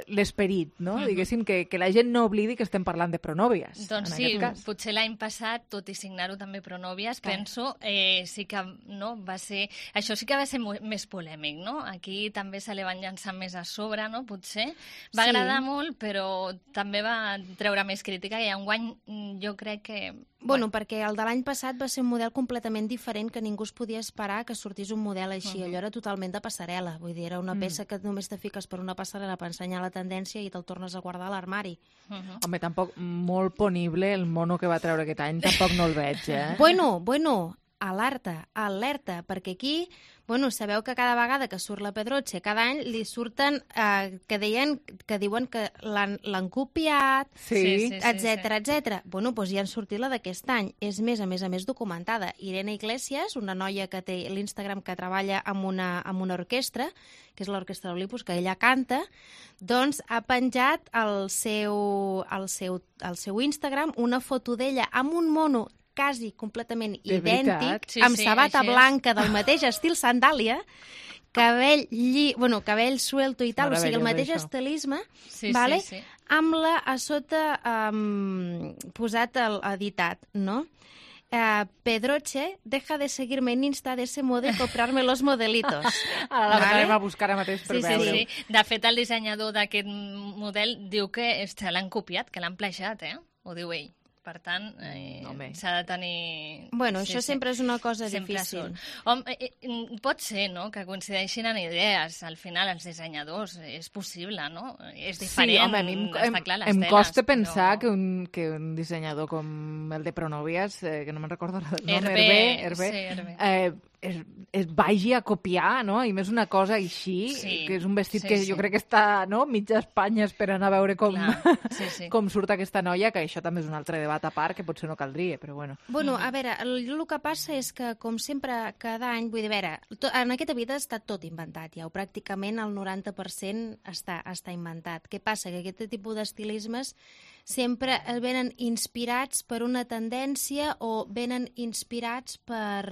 l'esperit, no? Diguéssim que la gent no oblidi que estem parlant de pronòvies. Doncs sí, potser l'any passat, tot i signar-ho també pronòvies, penso, sí que no, va ser... Això sí que va ser més polèmic, no? Aquí també se li van llançar més a sobre, no? Potser. Va agradar molt, però també va treure més crítica i enguany jo crec que... Bueno, perquè el de l'any passat va ser un model completament diferent que ningú es podia esperar que sortís un model així. Allò era totalment de passarel·la. Vull dir, era una peça que només te fiques per una passarel·la per ensenyar la tendència i te'l tornes a guardar a l'armari. Home, tampoc molt ponible el mono que va treure aquest any, tampoc no el veig, Bueno, alerta, perquè aquí... Bueno, sabeu que cada vegada que surt la Pedroche, cada any li surten que diuen que l'han copiat, etc. Bueno, doncs ja han sortit la d'aquest any. És més, a més documentada. Irene Iglesias, una noia que té l'Instagram que treballa amb una orquestra, que és l'Orquestra Olympus, que ella canta, doncs ha penjat al seu Instagram una foto d'ella amb un mono quasi completament idèntic, amb sabata blanca del mateix estil sandàlia, cabell suelto i tal, o sigui, el mateix estilisme, amb la a sota posat editat, no? Pedroche, deja de seguirme en Insta de ese modo y comprarme los modelitos. Ara l'anem a buscar ara mateix per veure-ho. Sí. De fet, el dissenyador d'aquest model diu que l'han copiat, que l'han plagiat, Ho diu ell. Per tant, s'ha de tenir... Bueno, això sempre és una cosa difícil. Home, pot ser, no?, que coincideixin en idees. Al final, els dissenyadors, és possible, no? És diferent, sí, home, està clar, les teles. Em costa pensar que un dissenyador com el de Pronòvies, que no me'n recordo el nom, Hervé, es vagi a copiar, no? I més una cosa així, que és un vestit que jo crec que està, no?, mitja Espanya esperant a veure com surt aquesta noia, que això també és un altre debat a part, que potser no caldria, però bueno. Bueno, a veure, el que passa és que, com sempre, cada any, vull dir, a veure, en aquesta vida està tot inventat ja, o pràcticament el 90% està inventat. Què passa? Que aquest tipus d'estilismes sempre venen inspirats per una tendència o venen inspirats per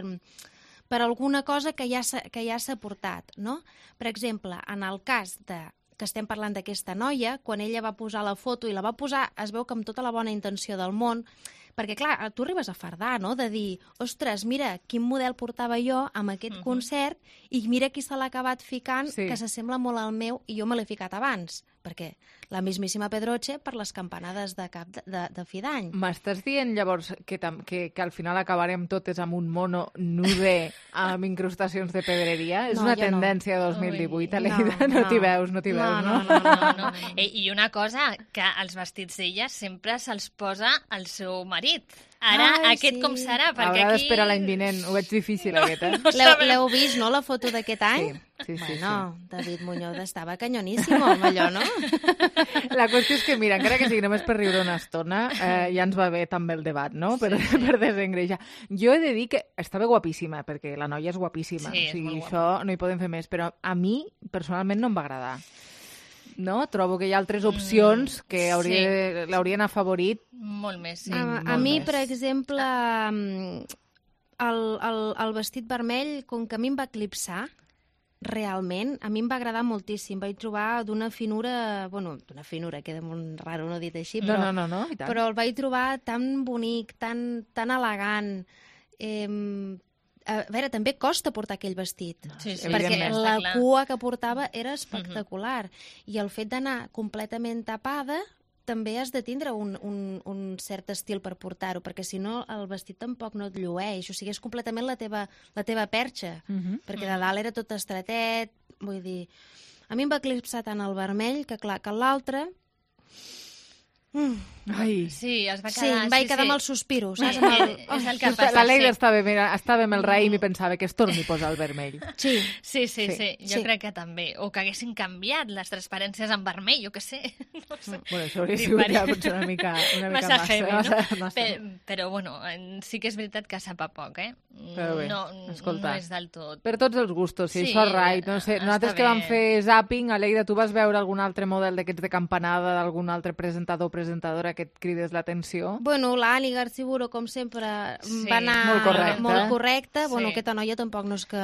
alguna cosa que ja s'ha portat, no? Per exemple, en el cas que estem parlant d'aquesta noia, quan ella va posar la foto i la va posar, es veu que amb tota la bona intenció del món, perquè, clar, tu arribes a fardar, no?, de dir, ostres, mira, quin model portava jo amb aquest concert i mira qui se l'ha acabat ficant, que s'assembla molt al meu i jo me l'he ficat abans, perquè la mismíssima Pedroche per les campanades de cap de fi d'any. M'estàs dient, llavors, que al final acabarem totes amb un mono nude amb incrustacions de pedreria? És una tendència de 2018, Aleida? No t'hi veus, no? No. I una cosa, que els vestits d'ella sempre se'ls posa el seu marit. Ara, aquest com serà? Haurà d'esperar l'any vinent. Ho veig difícil, aquest, L'heu vist, no, la foto d'aquest any? Sí. Bueno, David Muñoz estava canyoníssim amb allò, no? La qüestió és que, mira, encara que sigui només per riure una estona, ja ens va bé també el debat, no?, per desengreijar. Jo he de dir que estava guapíssima, perquè la noia és guapíssima. O sigui, això no hi podem fer més, però a mi, personalment, no em va agradar. No? Trobo que hi ha altres opcions que l'haurien afavorit. Molt més, sí. A mi, per exemple, el vestit vermell, com que a mi em va eclipsar, realment, a mi em va agradar moltíssim. Vaig trobar d'una finura, queda molt raro no dit així, però, no, i tant. Però el vaig trobar tan bonic, tan elegant. A veure, també costa portar aquell vestit, perquè la cua que portava era espectacular. I el fet d'anar completament tapada també has de tindre un cert estil per portar-ho, perquè si no el vestit tampoc no et llueix, o sigui, és completament la teva perxa, perquè de dalt era tot estretet, vull dir... A mi em va eclipsar tant el vermell que, clar, que l'altre... Ai. Sí, es va quedar... Sí, em vaig quedar amb els suspiros. És el que passa. La Leida estava amb el raïm i pensava que es torni a posar el vermell. Sí. Jo crec que també. O que haguessin canviat les transparències en vermell, jo què sé. No sé. Bueno, això hauria sigut ja potser una mica massa heavy, massa. Però, bueno, sí que és veritat que sap a poc, Però bé, No escolta, és del tot. per tots els gustos, si Sí, això és right. No sé, nosaltres que vam bé. fer zapping, Aleida, tu vas veure algun altre model d'aquests de campanada, d'algun altre presentador o presentadora que et crides l'atenció? Bueno, l'Anni Garciburo, com sempre, Sí, va anar molt correcte. Bueno, Sí. aquesta noia tampoc no és que...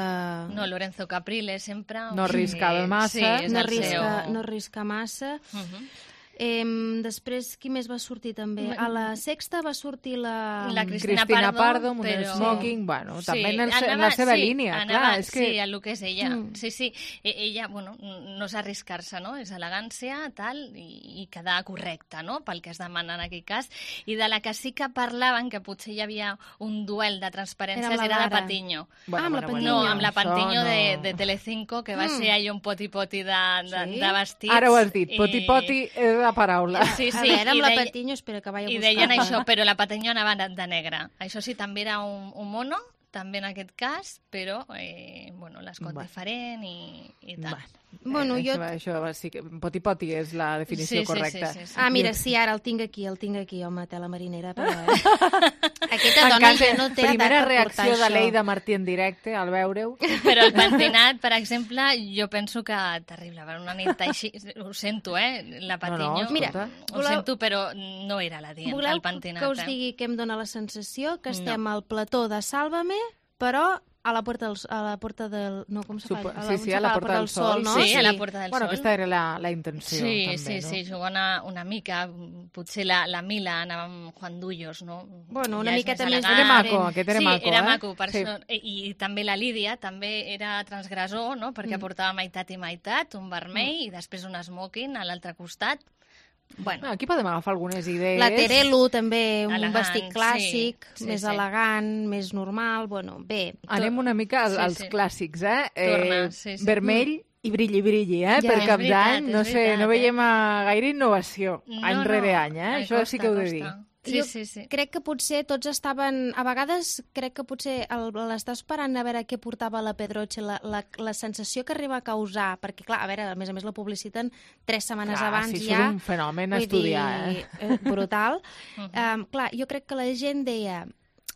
No, Lorenzo Caprile sempre... No arriscava massa. Sí, és no el seu. arrisca massa. Després, qui més va sortir també? A la Sexta va sortir la Cristina Pardo amb un però- smoking, bueno, Sí, també en anava- la seva sí, línia, anava, clar, és que... Sí, el que és ella. Sí. Ella, bueno, no és arriscar-se, no? És elegància, tal, i quedar correcta, no? Pel que es demana en aquell cas. I de la que sí que parlaven, que potser hi havia un duel de transparències, Era amb la era de Lara. Patiño. Amb la Patiño. No, amb la Això Patiño no. de Telecinco, que va ser allò un poti-poti de vestits. Ara ho has dit, poti-poti és la paraula. Sí, A veure, amb i la deia- Patiño, espera que vaig a I buscar. deien això, però la Patiño anava de negre. Això sí, també era un mono, també en aquest cas, però bueno, l'escot diferent i tal. Bueno, Això sí que poti-poti és la definició correcta. Sí. Ah, mira, sí, ara el tinc aquí, home, tela marinera. Però, Aquesta dona ja no té Primera edat per portar reacció de això. Leida Martí en directe al veure-ho. Però el pentinat, per exemple, jo penso que terrible, per una nit així, ho sento, la Patiño, No, mira, ho sento, però no era la dient, Voleu el pentinat. que us digui que em dóna la sensació que estem al plató de Sálvame, però a la porta del... No, com se fa? Sí, a la Porta del Sol, no? Sí, a la Porta del Bueno, Sol. aquesta era la intenció, també, Sí, jugant una mica, potser la Mila anava amb Juan Dullos, no? Bueno, una Ja és miqueta més més elegant. Era maco, aquest era maco, Sí, era eh? maco, per Sí. això. I també la Lídia també era transgressor, no? Perquè portava meitat i meitat, un vermell i després un smoking a l'altre costat. Bueno, Aquí podem agafar algunes idees. La Terelu, també, un Elegant, vestit clàssic, sí, més elegant, més normal, bueno, bé. Anem una mica als clàssics, Torna, sí. Vermell i brilli, Ja, per és Cap veritat, d'Any. No és sé, veritat, no veiem gaire innovació, any rere any, Això sí que ho he de dir. Sí, Jo sí. crec que potser tots estaven... A vegades crec que potser l'està esperant a veure què portava la Pedroche, la sensació que arriba a causar, perquè, clar, a veure, a més la publiciten 3 setmanes abans sí, ja. és un fenomen a Vull estudiar, dir, brutal. Clar, jo crec que la gent deia,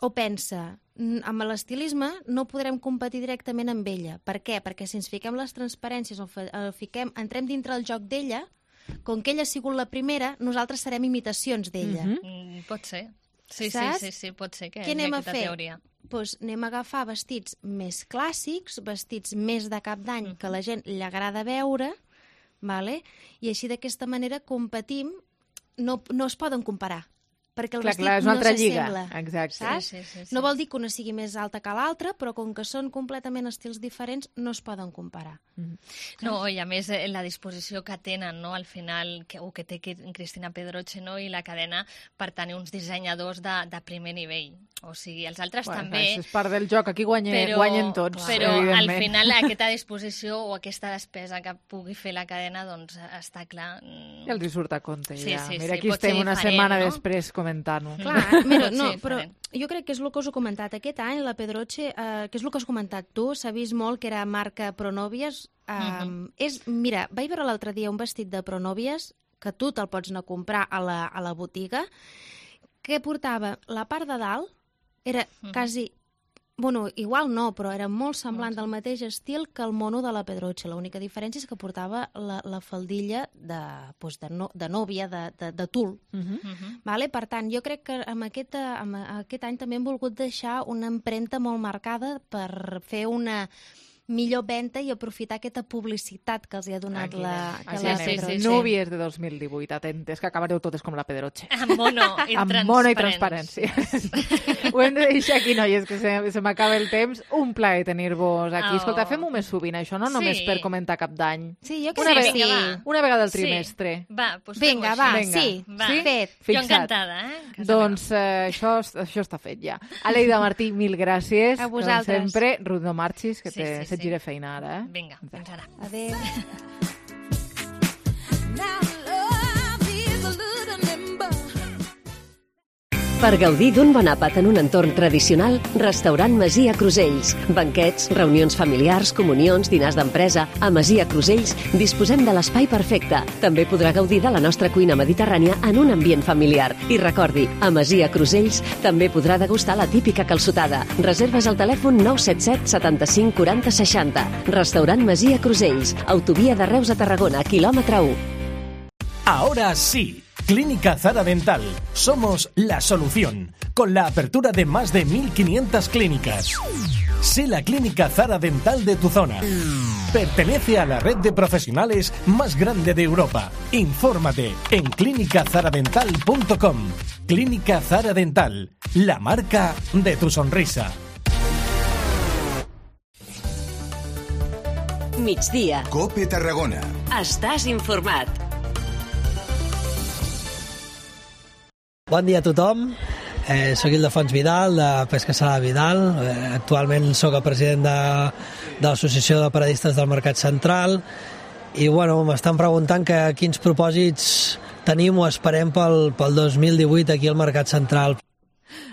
o pensa, amb l'estilisme no podrem competir directament amb ella. Per què? Perquè si ens fiquem les transparències o entrem dintre el joc d'ella, com que ella ha sigut la primera, nosaltres serem imitacions d'ella. Pot ser. Sí, pot ser que Què hi anem ha a aquesta fer? teoria. Doncs anem a agafar vestits més clàssics, vestits més de Cap d'Any, que a la gent li agrada veure, vale? I així d'aquesta manera competim, no es poden comparar, perquè el vestit és una altra lliga. s'assembla. Exacte. Saps? Sí. No vol dir que una sigui més alta que l'altra, però com que són completament estils diferents, no es poden comparar. No, i a més la disposició que tenen, no, al final, que té Cristina Pedroche, no, i la cadena per tenir uns dissenyadors de primer nivell. O sigui, els altres també... Això és part del joc, aquí guanyen tots, però evidentment. al final aquesta disposició o aquesta despesa que pugui fer la cadena, doncs està clar... Ja els hi surt a compte, Sí, ja. sí, Mira, aquí pot ser estem una diferent, setmana no? després comentant-ho. Clar, mira, Pot no, ser però diferent. jo crec que és el que us he comentat. Aquest any la Pedroche, que és el que has comentat tu, s'ha vist molt que era marca Pronovias. Mira, vaig veure l'altre dia un vestit de Pronovias, que tu te'l pots anar a comprar a la botiga, que portava la part de dalt, era quasi... Bueno, igual no, però era molt semblant del mateix estil que el mono de la Pedroche. L'única diferència és que portava la faldilla de nòvia, de tul. Vale? Per tant, jo crec que amb aquest any també hem volgut deixar una empremta molt marcada per fer una millor venda i aprofitar aquesta publicitat que els ha donat la Pedroche. Núvies de 2018, atentes, que acabareu totes com la Pedroche. Amb mono i transparència. Ho hem de deixar aquí, noies, que se m'acaba el temps. Un plaer tenir-vos aquí. Escolta, fem-ho més sovint, això, no només per comentar Cap d'Any. Sí, jo crec que sí. Una vegada al trimestre. Va, doncs vinga, sí. Fet. Jo encantada, Doncs això està fet ja. Aleida Martí, mil gràcies. A vosaltres. Com sempre, Ruth, no marxis, que se't gira feina ara. Vinga, fins ara. Adéu. Now love is a little limbo. Per gaudir d'un bon àpat en un entorn tradicional, Restaurant Masia Crusells. Banquets, reunions familiars, comunions, dinars d'empresa. A Masia Crusells disposem de l'espai perfecte. També podrà gaudir de la nostra cuina mediterrània en un ambient familiar. I recordi, a Masia Crusells també podrà degustar la típica calçotada. Reserves al telèfon 977 75 40 60. Restaurant Masia Crusells. Autovia de Reus a Tarragona, quilòmetre 1. Ahora sí. Clínica Zara Dental. Somos la solución, con la apertura de más de 1.500 clínicas. Sé la clínica Zara Dental de tu zona. Pertenece a la red de profesionales más grande de Europa. Infórmate en clinicazaradental.com. Clínica Zara Dental, la marca de tu sonrisa. Migdia. COPE Tarragona. Estàs informat. Bon dia a tothom, soc Ildefons Vidal, de Pesca Salada Vidal, actualment soc el president de l'Associació de Paradistes del Mercat Central i m'estan preguntant quins propòsits tenim o esperem pel 2018 aquí al Mercat Central.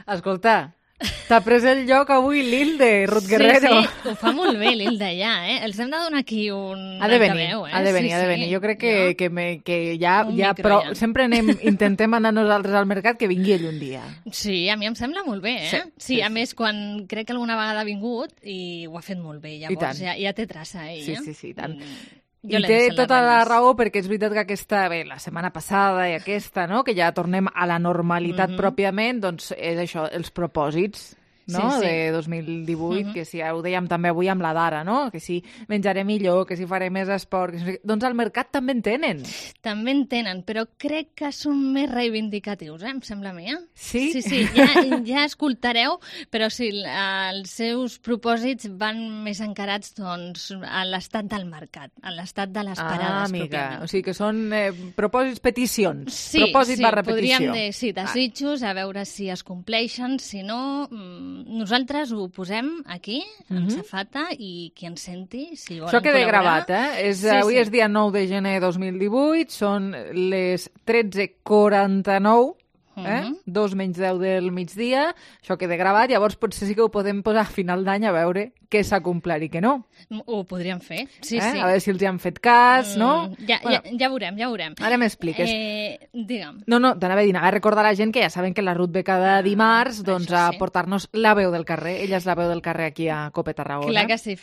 Escolta, t'ha pres el lloc avui l'Ilde, Ruth Guerrero. Sí, ho fa molt bé l'Ilde ja, Els hem de donar aquí un ha de venir. Jo crec que ja però sempre intentem anar nosaltres al mercat, que vingui ell un dia. Sí, a mi em sembla molt bé, Sí, a més, quan crec que alguna vegada ha vingut i ho ha fet molt bé, llavors ja té traça ell. Sí, tant. I té tota la raó, perquè és veritat que la setmana passada i aquesta, no?, que ja tornem a la normalitat pròpiament, doncs és això, els propòsits, no?, de 2018, que si ho dèiem també avui amb la Dara, no?, que si menjaré millor, que si faré més esport, doncs al mercat també en tenen. També en tenen, però crec que són més reivindicatius, em sembla a mi, Sí? Sí, ja escoltareu, però sí, els seus propòsits van més encarats, doncs, a l'estat del mercat, a l'estat de les parades, pròpiament. O sigui que són propòsits, peticions. Sí, propòsit barra petició. Podríem dir, sí, desitjos, a veure si es compleixen, si no, nosaltres ho posem aquí, amb safata, i qui ens senti, si volen això queda col·laborar... gravat, Avui és dia 9 de gener de 2018, són les 13:49, 2 menys 10 del migdia, això queda gravat, llavors potser sí que ho podem posar a final d'any a veure què s'ha complert i què no. Ho podríem fer, sí. A veure si els hi han fet cas, no? Ja veurem. Ara m'expliques. Digue'm. No, t'anava a dir, a recordar a la gent que ja saben que la Ruth ve cada dimarts a portar-nos la veu del carrer. Ella és la veu del carrer aquí a COPE Tarragona. Clar que sí,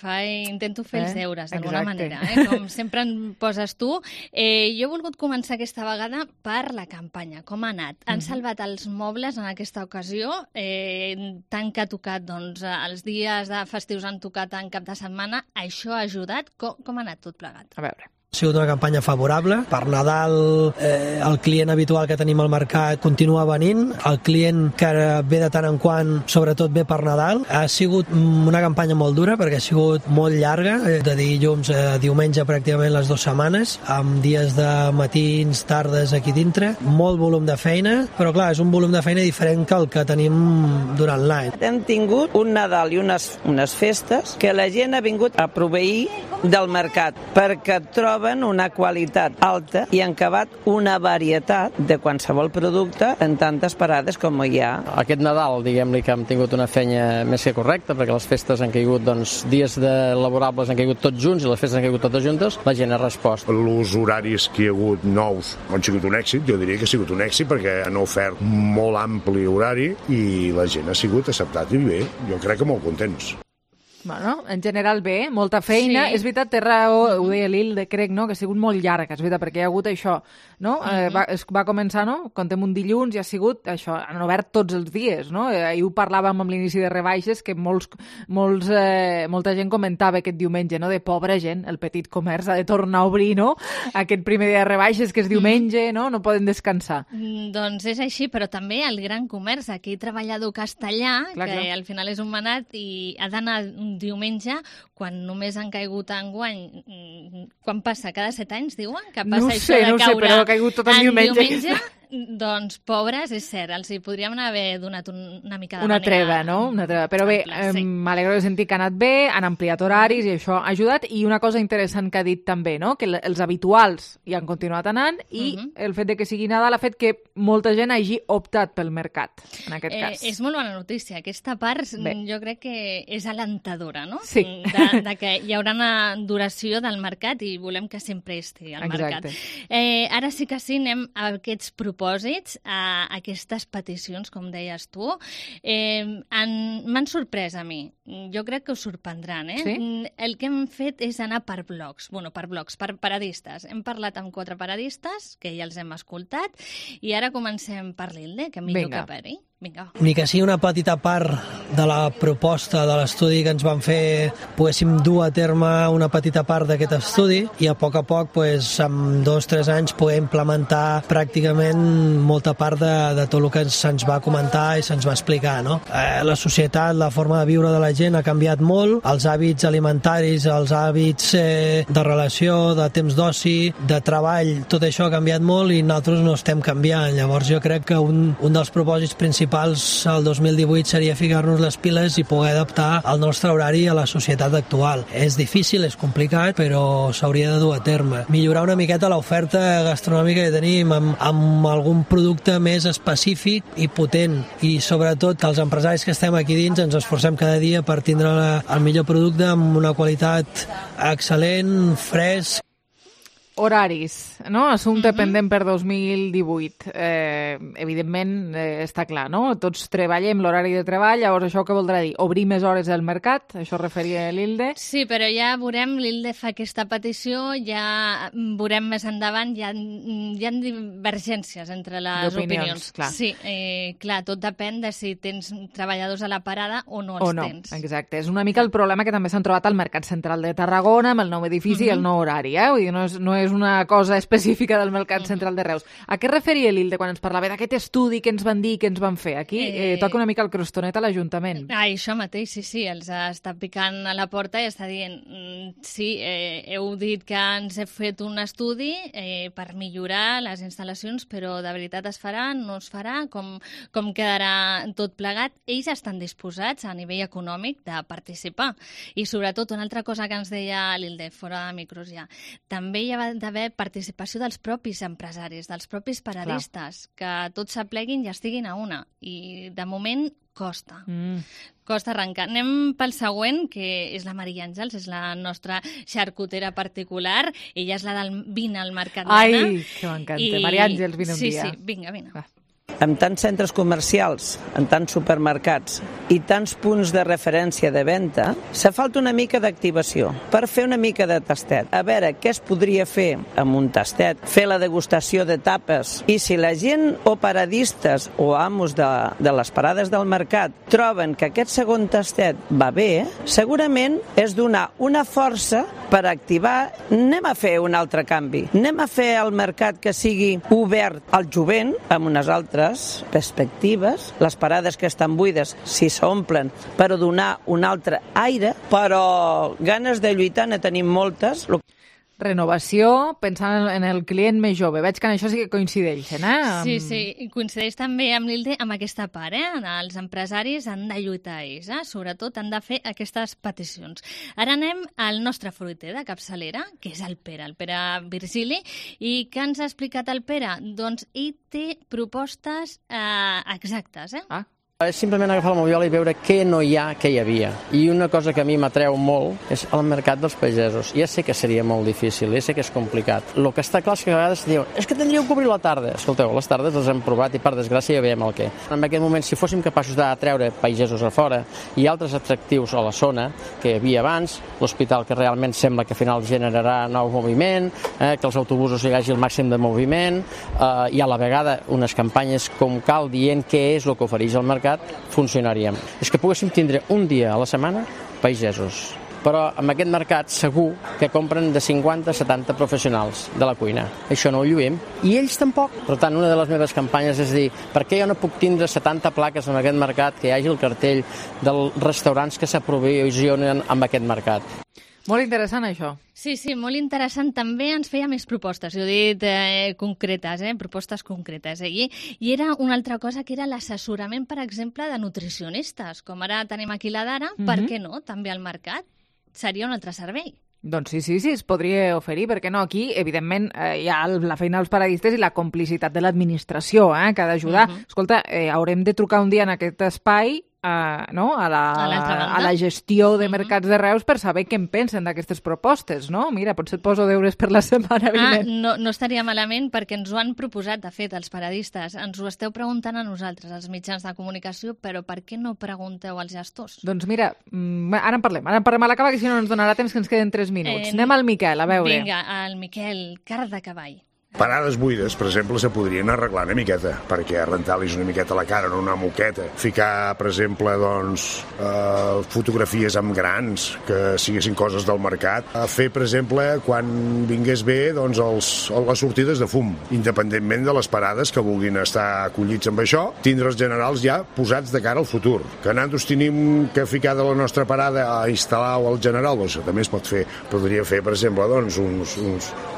intento fer els deures d'alguna manera, com sempre em poses tu. Jo he volgut començar aquesta vegada per la campanya. Com ha anat? Han salvat els mobles en aquesta ocasió, tant que ha tocat els dies de festius han tocat en cap de setmana, això ha ajudat? Com ha anat tot plegat? A veure. Ha sigut una campanya favorable. Per Nadal el client habitual que tenim al mercat continua venint. El client que ve de tant en quant, sobretot ve per Nadal. Ha sigut una campanya molt dura perquè ha sigut molt llarga, de dilluns a diumenge pràcticament les 2 setmanes, amb dies de matins, tardes aquí dintre. Molt volum de feina, però clar, és un volum de feina diferent que el que tenim durant l'any. Hem tingut un Nadal i unes festes que la gent ha vingut a proveir del mercat perquè troben una qualitat alta i han acabat una varietat de qualsevol producte en tantes parades com hi ha. Aquest Nadal, diguem-li que hem tingut una feina més que correcta, perquè les festes han caigut, dies laborables han caigut tots junts i les festes han caigut totes juntes, la gent ha respost. Els horaris que hi ha hagut nous han sigut un èxit, jo diria que ha sigut un èxit perquè han ofert molt ampli horari i la gent ha sigut acceptat i bé, jo crec que molt contents. Bueno, en general bé, molta feina. Sí. És veritat, té raó, ho deia l'Ilde, crec, no?, que ha sigut molt llarga, és veritat, perquè hi ha hagut això, no? Va començar, no?, contem un dilluns i ha sigut això, han obert tots els dies, no? Ahir ho parlàvem amb l'inici de rebaixes, que molta gent comentava aquest diumenge, no?, de pobra gent, el petit comerç ha de tornar a obrir, no?, aquest primer dia de rebaixes, que és diumenge, no?, no poden descansar. Doncs és així, però també el gran comerç, aquí treballador castellà, que al final és un manat i ha d'anar diumenge, quan només han caigut enguany, quan passa? Cada 7 anys, diuen? Que passa això de caure però ha caigut tot en diumenge. Doncs, pobres, és cert, els hi podríem haver donat una mica de una manera... treva, no? Una treva. Però bé, m'alegro de sentir que ha anat bé, han ampliat horaris i això ha ajudat. I una cosa interessant que ha dit també, no? Que els habituals hi han continuat anant i el fet de que sigui Nadal ha fet que molta gent hagi optat pel mercat, en aquest cas. És molt bona notícia. Aquesta part jo crec que és alentadora, no? Sí. De que hi haurà una duració del mercat i volem que sempre estigui al mercat. Ara sí que sí, anem a aquests propòsits, a aquestes peticions, com deies tu. M'han sorprès a mi. Jo crec que us sorprendran, eh? Sí? El que hem fet és anar per blocs. Bueno, per paradistes. Hem parlat amb 4 paradistes, que ja els hem escoltat, i ara comencem per l'Hilde, que millor que per ell. Vinga. Ni que sigui una petita part de la proposta de l'estudi que ens van fer, poguéssim dur a terme una petita part d'aquest estudi i a poc, en 2-3 anys, poder implementar pràcticament molta part de tot el que se'ns va comentar i se'ns va explicar, no? La societat, la forma de viure de la gent ha canviat molt, els hàbits alimentaris, els hàbits de relació, de temps d'oci, de treball, tot això ha canviat molt i nosaltres no estem canviant. Llavors jo crec que un dels propòsits principals al 2018 seria ficar-nos les piles i poder adaptar el nostre horari a la societat actual. És difícil, és complicat, però s'hauria de dur a terme. Millorar una miqueta l'oferta gastronòmica que tenim amb algun producte més específic i potent, i sobretot que els empresaris que estem aquí dins ens esforcem cada dia per tindre el millor producte amb una qualitat excel·lent, fresc. Horaris, no? Assumpte pendent per 2018. Evidentment, està clar, no? Tots treballem l'horari de treball, llavors això què voldrà dir? Obrir més hores del mercat? Això referia l'Hilde? Sí, però ja veurem, l'Hilde fa aquesta petició, ja veurem més endavant, hi ha divergències entre les opinions. Clar. Sí, clar, tot depèn de si tens treballadors a la parada o no els tens. Exacte. És una mica el problema que també s'han trobat al Mercat Central de Tarragona, amb el nou edifici i el nou horari, Vull dir, no és una cosa específica del Mercat Central de Reus. A què referia l'Hilde quan ens parlava d'aquest estudi que ens van dir, que ens van fer? Aquí toca una mica el crostonet a l'Ajuntament. Això mateix, sí. Els està picant a la porta i està dient sí, heu dit que ens he fet un estudi per millorar les instal·lacions, però de veritat es farà, no es farà, com quedarà tot plegat? Ells estan disposats a nivell econòmic de participar. I sobretot, una altra cosa que ens deia l'Hilde, fora de micros ja, també hi ha d'haver participació dels propis empresaris, dels propis paradistes, que tots s'apleguin i estiguin a una. I de moment costa. Costa arrencar. Anem pel següent, que és la Maria Àngels, és la nostra xarcutera particular. Ella és la del vine al Mercat Nena. Ai, que m'encanta. Maria Àngels, vine un dia. Sí, vinga. Amb tants centres comercials, amb tants supermercats i tants punts de referència de venda, se falta una mica d'activació per fer una mica de tastet. A veure què es podria fer amb un tastet, fer la degustació de tapes. I si la gent o paradistes o amos de les parades del mercat troben que aquest segon tastet va bé, segurament és donar una força per activar. Anem a fer un altre canvi. Anem a fer el mercat que sigui obert al jovent amb unes altres perspectives, les parades que estan buides si s'omplen per donar un altre aire, però ganes de lluitar ne tenim moltes. Renovació, pensant en el client més jove. Veig que en això sí que coincideixen, Sí, i coincideix també amb l'Hilde amb aquesta part, Els empresaris han de lluitar ells, sobretot han de fer aquestes peticions. Ara anem al nostre fruiter de capçalera, que és el Pere Virgili, i què ens ha explicat el Pere? Doncs ell té propostes exactes, És simplement agafar el Moviola i veure què no hi ha, què hi havia. I una cosa que a mi m'atreu molt és el mercat dels pagesos. Ja sé que seria molt difícil, ja sé que és complicat. El que està clar és que a vegades diuen és que tindríeu que obrir la tarda. Escolteu, les tardes les hem provat i per desgràcia ja veiem el què. En aquest moment, si fóssim capaços d'atreure pagesos a fora i altres atractius a la zona que hi havia abans, l'hospital que realment sembla que al final generarà nou moviment, que els autobusos hi hagi el màxim de moviment, i a la vegada unes campanyes com cal dient què és el que ofereix el mercat, funcionaríem. És que poguéssim tindre un dia a la setmana pagesos. Però amb aquest mercat segur que compren de 50 a 70 professionals de la cuina. Això no ho lluïm. I ells tampoc. Per tant, una de les meves campanyes és dir, per què jo no puc tindre 70 plaques en aquest mercat, que hi hagi el cartell dels restaurants que s'aprovisionen amb aquest mercat? Molt interessant, això. Sí, molt interessant. També ens feia més propostes, jo he dit concretes, propostes concretes. I era una altra cosa que era l'assessorament, per exemple, de nutricionistes. Com ara tenim aquí la Dara, per què no? També al mercat. Seria un altre servei. Doncs sí, es podria oferir, perquè no? Aquí, evidentment, hi ha la feina dels paradistes i la complicitat de l'administració, que ha d'ajudar. Escolta, haurem de trucar un dia en aquest espai a la gestió de mercats de Reus per saber què en pensen d'aquestes propostes, no? Mira, potser et poso deures per la setmana vinent. No estaria malament, perquè ens ho han proposat, de fet, els paradistes. Ens ho esteu preguntant a nosaltres, als mitjans de comunicació, però per què no pregunteu als gestors? Doncs mira, ara en parlem a l'acabar, que si no ens donarà temps, que ens queden 3 minuts. Anem al Miquel, a veure. Vinga, al Miquel, car de cavall. Parades buides, per exemple, se podrien arreglar una miqueta, perquè rentar-los una miqueta la cara, no una moqueta. Ficar, per exemple, fotografies amb grans, que siguessin coses del mercat. Fer, per exemple, quan vingués bé, les sortides de fum, independentment de les parades que vulguin estar acollits amb això, tindre els generals ja posats de cara al futur. Que nosaltres tenim que ficar de la nostra parada a instal·lar al general, doncs també es pot fer. Podria fer, per exemple,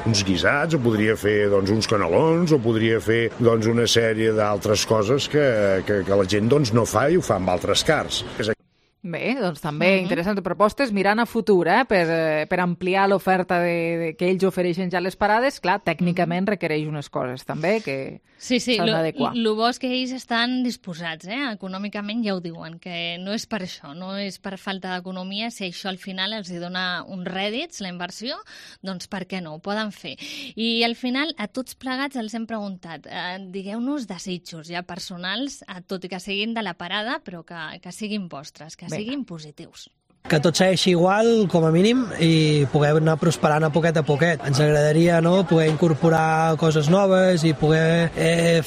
uns guisats, o podria fer uns canelons, o podria fer una sèrie d'altres coses que la gent no fa i ho fa amb altres cars. Bé, doncs també interessants propostes, mirant a futur, per ampliar l'oferta que ells ofereixen ja a les parades. Clar, tècnicament requereix unes coses també que s'han d'adequar. El bo és que ells estan disposats, econòmicament ja ho diuen, que no és per això, no és per falta d'economia. Si això al final els dona uns rèdits, la inversió, doncs per què no, ho poden fer. I al final a tots plegats els hem preguntat, digueu-nos desitjos ja personals, tot i que siguin de la parada, però que siguin vostres, que siguin positius. Que tot segueixi igual, com a mínim, i poder anar prosperant a poquet. Ens agradaria poder incorporar coses noves i poder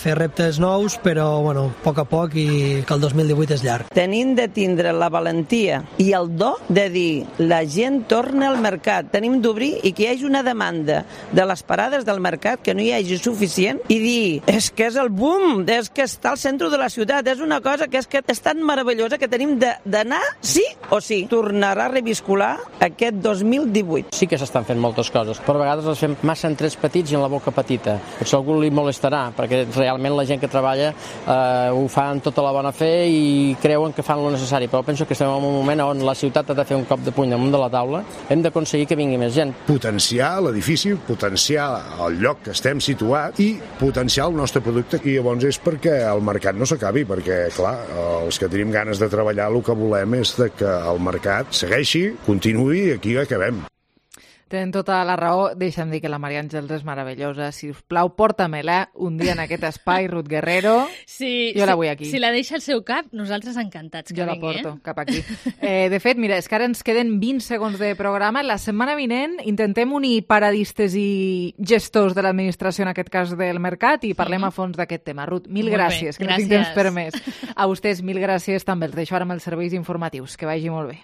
fer reptes nous, però a poc, i que el 2018 és llarg. Tenim de tindre la valentia i el do de dir la gent torna al mercat. Tenim d'obrir i que hi hagi una demanda de les parades del mercat que no hi hagi suficient i dir, és que és el boom, és que està al centre de la ciutat, és una cosa que és tan meravellosa que tenim d'anar sí o sí. Tornarà a reviscular aquest 2018. Sí que s'estan fent moltes coses, però a vegades les fem massa en trets petits i en la boca petita. Potser algú li molestarà, perquè realment la gent que treballa ho fa amb tota la bona fe i creuen que fan lo necessari, però penso que estem en un moment on la ciutat ha de fer un cop de puny damunt de la taula, hem d'aconseguir que vingui més gent. Potenciar l'edifici, potenciar el lloc que estem situat i potenciar el nostre producte, i llavors és perquè el mercat no s'acabi, perquè, clar, els que tenim ganes de treballar el que volem és que el mercat segueixi, continuï i aquí acabem. Tenen tota la raó. Deixa'm dir que la Maria Àngels és meravellosa. Si us plau, porta-me-la un dia en aquest espai, Ruth Guerrero. Sí, jo la vull aquí. Si la deixa al seu cap, nosaltres encantats que jo vingui. Jo la porto cap aquí. De fet, mira, és que ara ens queden 20 segons de programa. La setmana vinent intentem unir paradistes i gestors de l'administració, en aquest cas del mercat, i parlem a fons d'aquest tema. Ruth, mil gràcies, que no tinc temps per més. A vostès, mil gràcies també. Els deixo ara amb els serveis informatius. Que vagi molt bé.